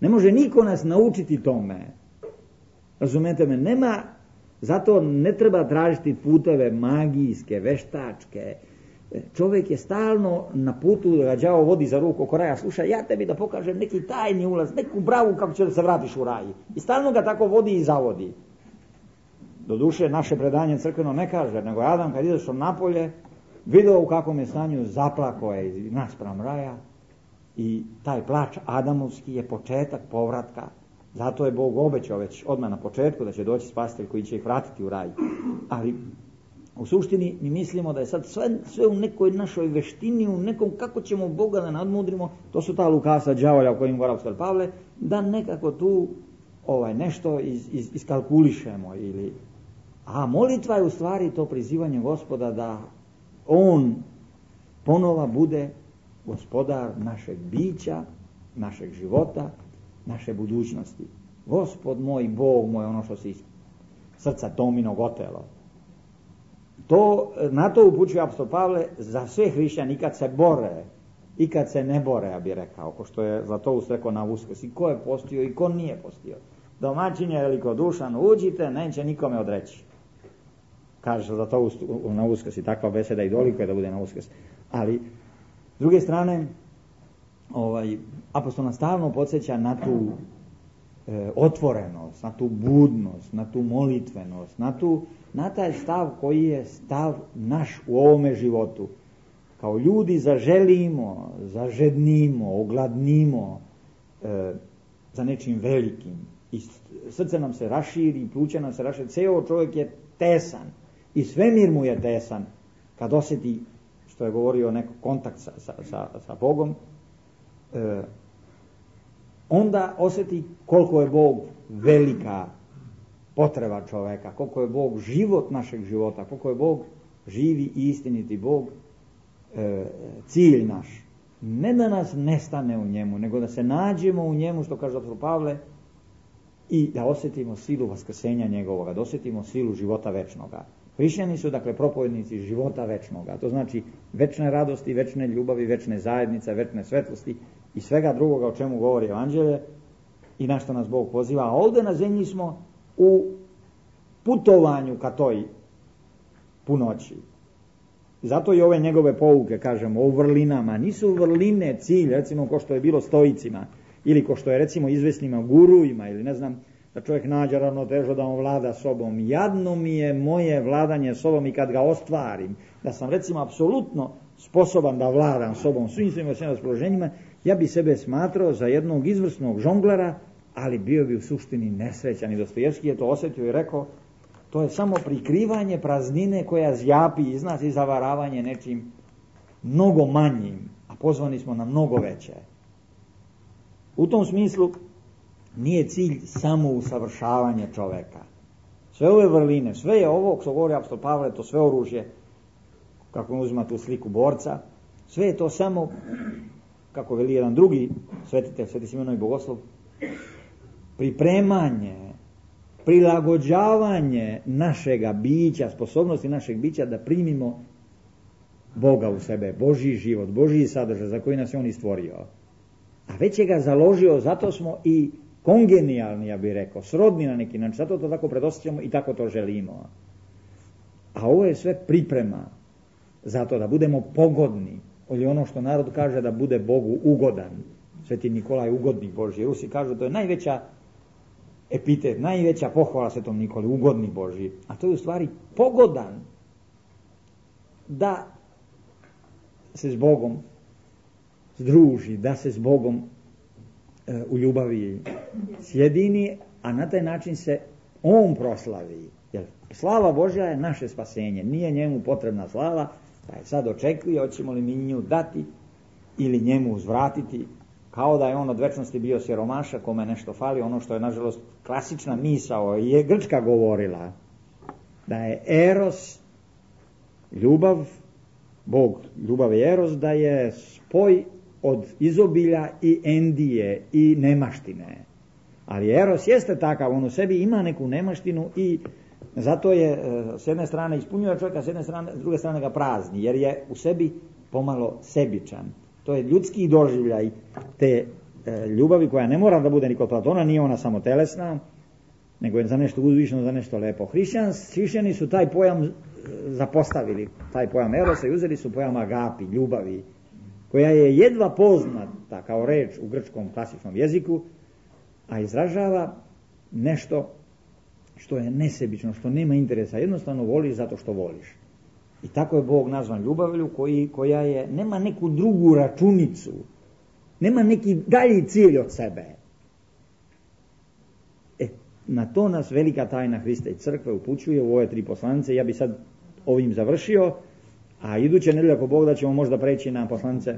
Ne može niko nas naučiti tome. Razumete me? Nema, zato ne treba tražiti puteve magijske, veštačke. Čovjek je stalno na putu da ga đavo vodi za ruku oko raja. Slušaj, ja tebi da pokažem neki tajni ulaz, neku bravu kako će da se vratiš u raj. I stalno ga tako vodi i zavodi. Doduše, naše predanje crkveno ne kaže, nego Adam kad izašao napolje, video u kakvom je stanju, zaplako je naspram raja i taj plač Adamovski je početak povratka. Zato je Bog obećao već odmah na početku da će doći spasitelj koji će ih vratiti u raj. Ali u suštini mi mislimo da je sad sve, sve u nekoj našoj veštini, u nekom kako ćemo Boga da nadmudrimo, to su ta lukasa đavolja o kojim govori apostol Pavle, da nekako tu ovaj, nešto iz, iz, iskalkulišemo. Ili... A molitva je u stvari to prizivanje Gospoda da On ponova bude gospodar našeg bića, našeg života, naše budućnosti. Gospod moj, Bog moj, ono što se iz srca Tominog otelo. To, na to upućuje apostol Pavle za sve hrišćani, i kad se bore, i kad se ne bore, ja bih rekao, ko što je Zlatoust rekao na Uskrs, i ko je postio i ko nije postio. Domaćin je velikodušan, uđite, neće nikome odreći. Kaže Zlatoust na Uskrs, i takva beseda i doliko je da bude na Uskrs. Ali, s druge strane, ovaj, apostol nas stalno podsjeća na tu e, otvorenost, na tu budnost, na tu molitvenost, na, tu, na taj stav koji je stav naš u ovome životu. Kao ljudi zaželimo, zažednimo, ogladnimo e, za nečim velikim. I srce nam se raširi, pluća nam se raširi, ceo čovjek je tesan i svemir mu je tesan kad osjeti, što je govorio, neko kontakt sa, sa, sa, sa Bogom. E, onda osjeti koliko je Bog velika potreba čoveka, koliko je Bog život našeg života, koliko je Bog živi i istiniti Bog, e, cilj naš. Ne da nas nestane u njemu, nego da se nađemo u njemu, što kaže apostol Pavle, i da osjetimo silu vaskrsenja njegovoga, da osjetimo silu života večnoga. Hrišćani su, dakle, propovednici života večnoga. To znači večne radosti, večne ljubavi, večne zajednice, večne svetlosti i svega drugoga o čemu govori Evanđelje i na što nas Bog poziva. A ovdje na zemlji smo u putovanju ka toj punoći. Zato i ove njegove pouke, kažemo, o vrlinama. Nisu vrline cilj, recimo, ko što je bilo stoicima, ili ko što je, recimo, izvesnima guruima, ili ne znam, da čovjek nađe ravnotežu da on vlada sobom. Jadno mi je moje vladanje sobom i kad ga ostvarim, da sam, recimo, apsolutno sposoban da vladam sobom svim svim svim raspoloženjima, ja bi sebe smatrao za jednog izvrsnog žonglera, ali bio bi u suštini nesrećan. I Dostojevski je to osjetio i rekao, to je samo prikrivanje praznine koja zjapi iz nas i zavaravanje nečim mnogo manjim, a pozvani smo na mnogo veće. U tom smislu nije cilj samo usavršavanje čoveka. Sve ove vrline, sve je ovo, što govori apostol Pavle, to sve oružje, kako on uzima tu sliku borca, sve je to samo kako veli jedan drugi svetitelj, Sveti Simeon Bogoslov, pripremanje, prilagođavanje našega bića, sposobnosti našeg bića da primimo Boga u sebe, Božji život, Božji sadržaj za koji nas je On i stvorio. A već je ga založio, zato smo i kongenijalni, ja bih rekao, srodni na neki način, zato to tako predosjećamo i tako to želimo. A ovo je sve priprema zato da budemo pogodni, ili ono što narod kaže da bude Bogu ugodan. Sveti Nikolaj ugodnik Božji, Rusi kažu to je najveća epitet, najveća pohvala Svetom Nikoli, ugodnik Božji. A to je u stvari pogodan da se s Bogom združi, da se s Bogom e, u ljubavi sjedini, a na taj način se On proslavi. Jer slava Božja je naše spasenje, nije njemu potrebna slava, pa je sad očekuje, hoćemo li mi nju dati ili njemu uzvratiti, kao da je on od večnosti bio siromaša, kome nešto fali, ono što je nažalost klasična misao je Grčka govorila, da je eros, ljubav, Bog, ljubav je eros, da je spoj od izobilja i endije i nemaštine. Ali eros jeste takav, on u sebi ima neku nemaštinu i zato je s jedne strane ispunjuje čovjeka, s jedne strane, s druge strane ga prazni, jer je u sebi pomalo sebičan. To je ljudski doživljaj te e, ljubavi koja ne mora da bude ni kod Platona, nije ona samo telesna, nego je za nešto uzvišeno, za nešto lepo. Hrišćani su taj pojam zapostavili, taj pojam erosa i uzeli su pojam agapi, ljubavi, koja je jedva poznata kao reč u grčkom klasičnom jeziku, a izražava nešto što je nesebično, što nema interesa, jednostavno voliš zato što voliš. I tako je Bog nazvan ljubavlju koji, koja je, nema neku drugu računicu, nema neki dalji cilj od sebe. E, na to nas velika tajna Hrista i crkve upućuje u ove tri poslanice. Ja bi sad ovim završio, a iduće nedelje ako Bog da ćemo možda preći na poslanice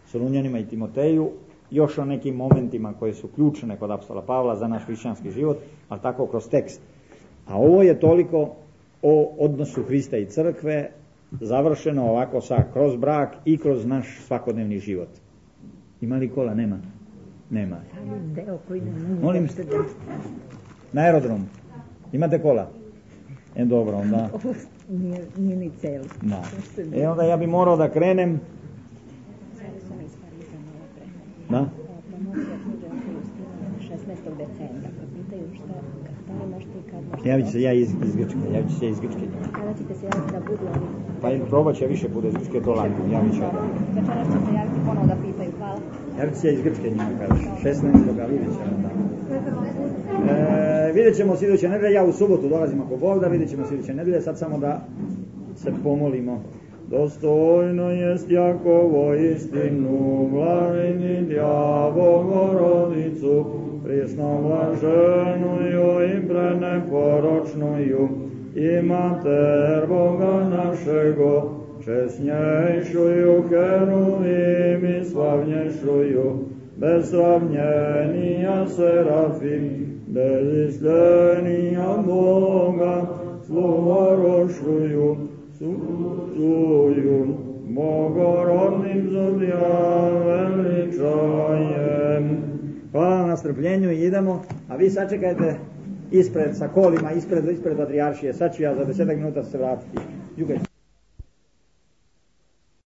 Solunjanima i Timoteju, još o nekim momentima koje su ključne kod apostola Pavla za naš hrišćanski život, ali tako kroz tekst. A ovo je toliko o odnosu Hrista i crkve, završeno ovako sa kroz brak i kroz naš svakodnevni život. Ima li kola? Nema. Nema. Molim, na aerodromu. Imate kola? E dobro, onda. Nije, nije ni celo. Da. E onda ja bi morao da krenem. Da? šesnaestog decembra, kad pitaju šta, kada možete i kad možete. Javit ću se ja iz, iz Grčke, javit ću se iz Grčke. Kada ćete se javiti da budu oni? Pa probat će više puta iz Grčke, to lako, javit ću. Večeras će se javiti ponovo da pitaju, hvala. Javit ću se iz Grčke njima, kažeš, šesnaestog vidjet ćemo da. E, vidjet ćemo sljedeće nedelje, ja u subotu dolazim ako Bog da, vidjet ćemo sljedeće nedelje, sad samo da se pomolimo. Dostojno jest Jakovo istinu, blaženja Bogorodicu, prisno blaženuju i preneporočnuju, i mater Boga našego, česnjejšuju heruvim i slavnješuju, bez sravnjenija serafim, bez islenija Boga, sluvorošuju, suju, Bogorodnim zodija veličajem. Hvala na strpljenju i idemo, a vi sačekajte ispred sa kolima, ispred, ispred patrijaršije, sad ću ja za desetak minuta se vratiti. Jugaj.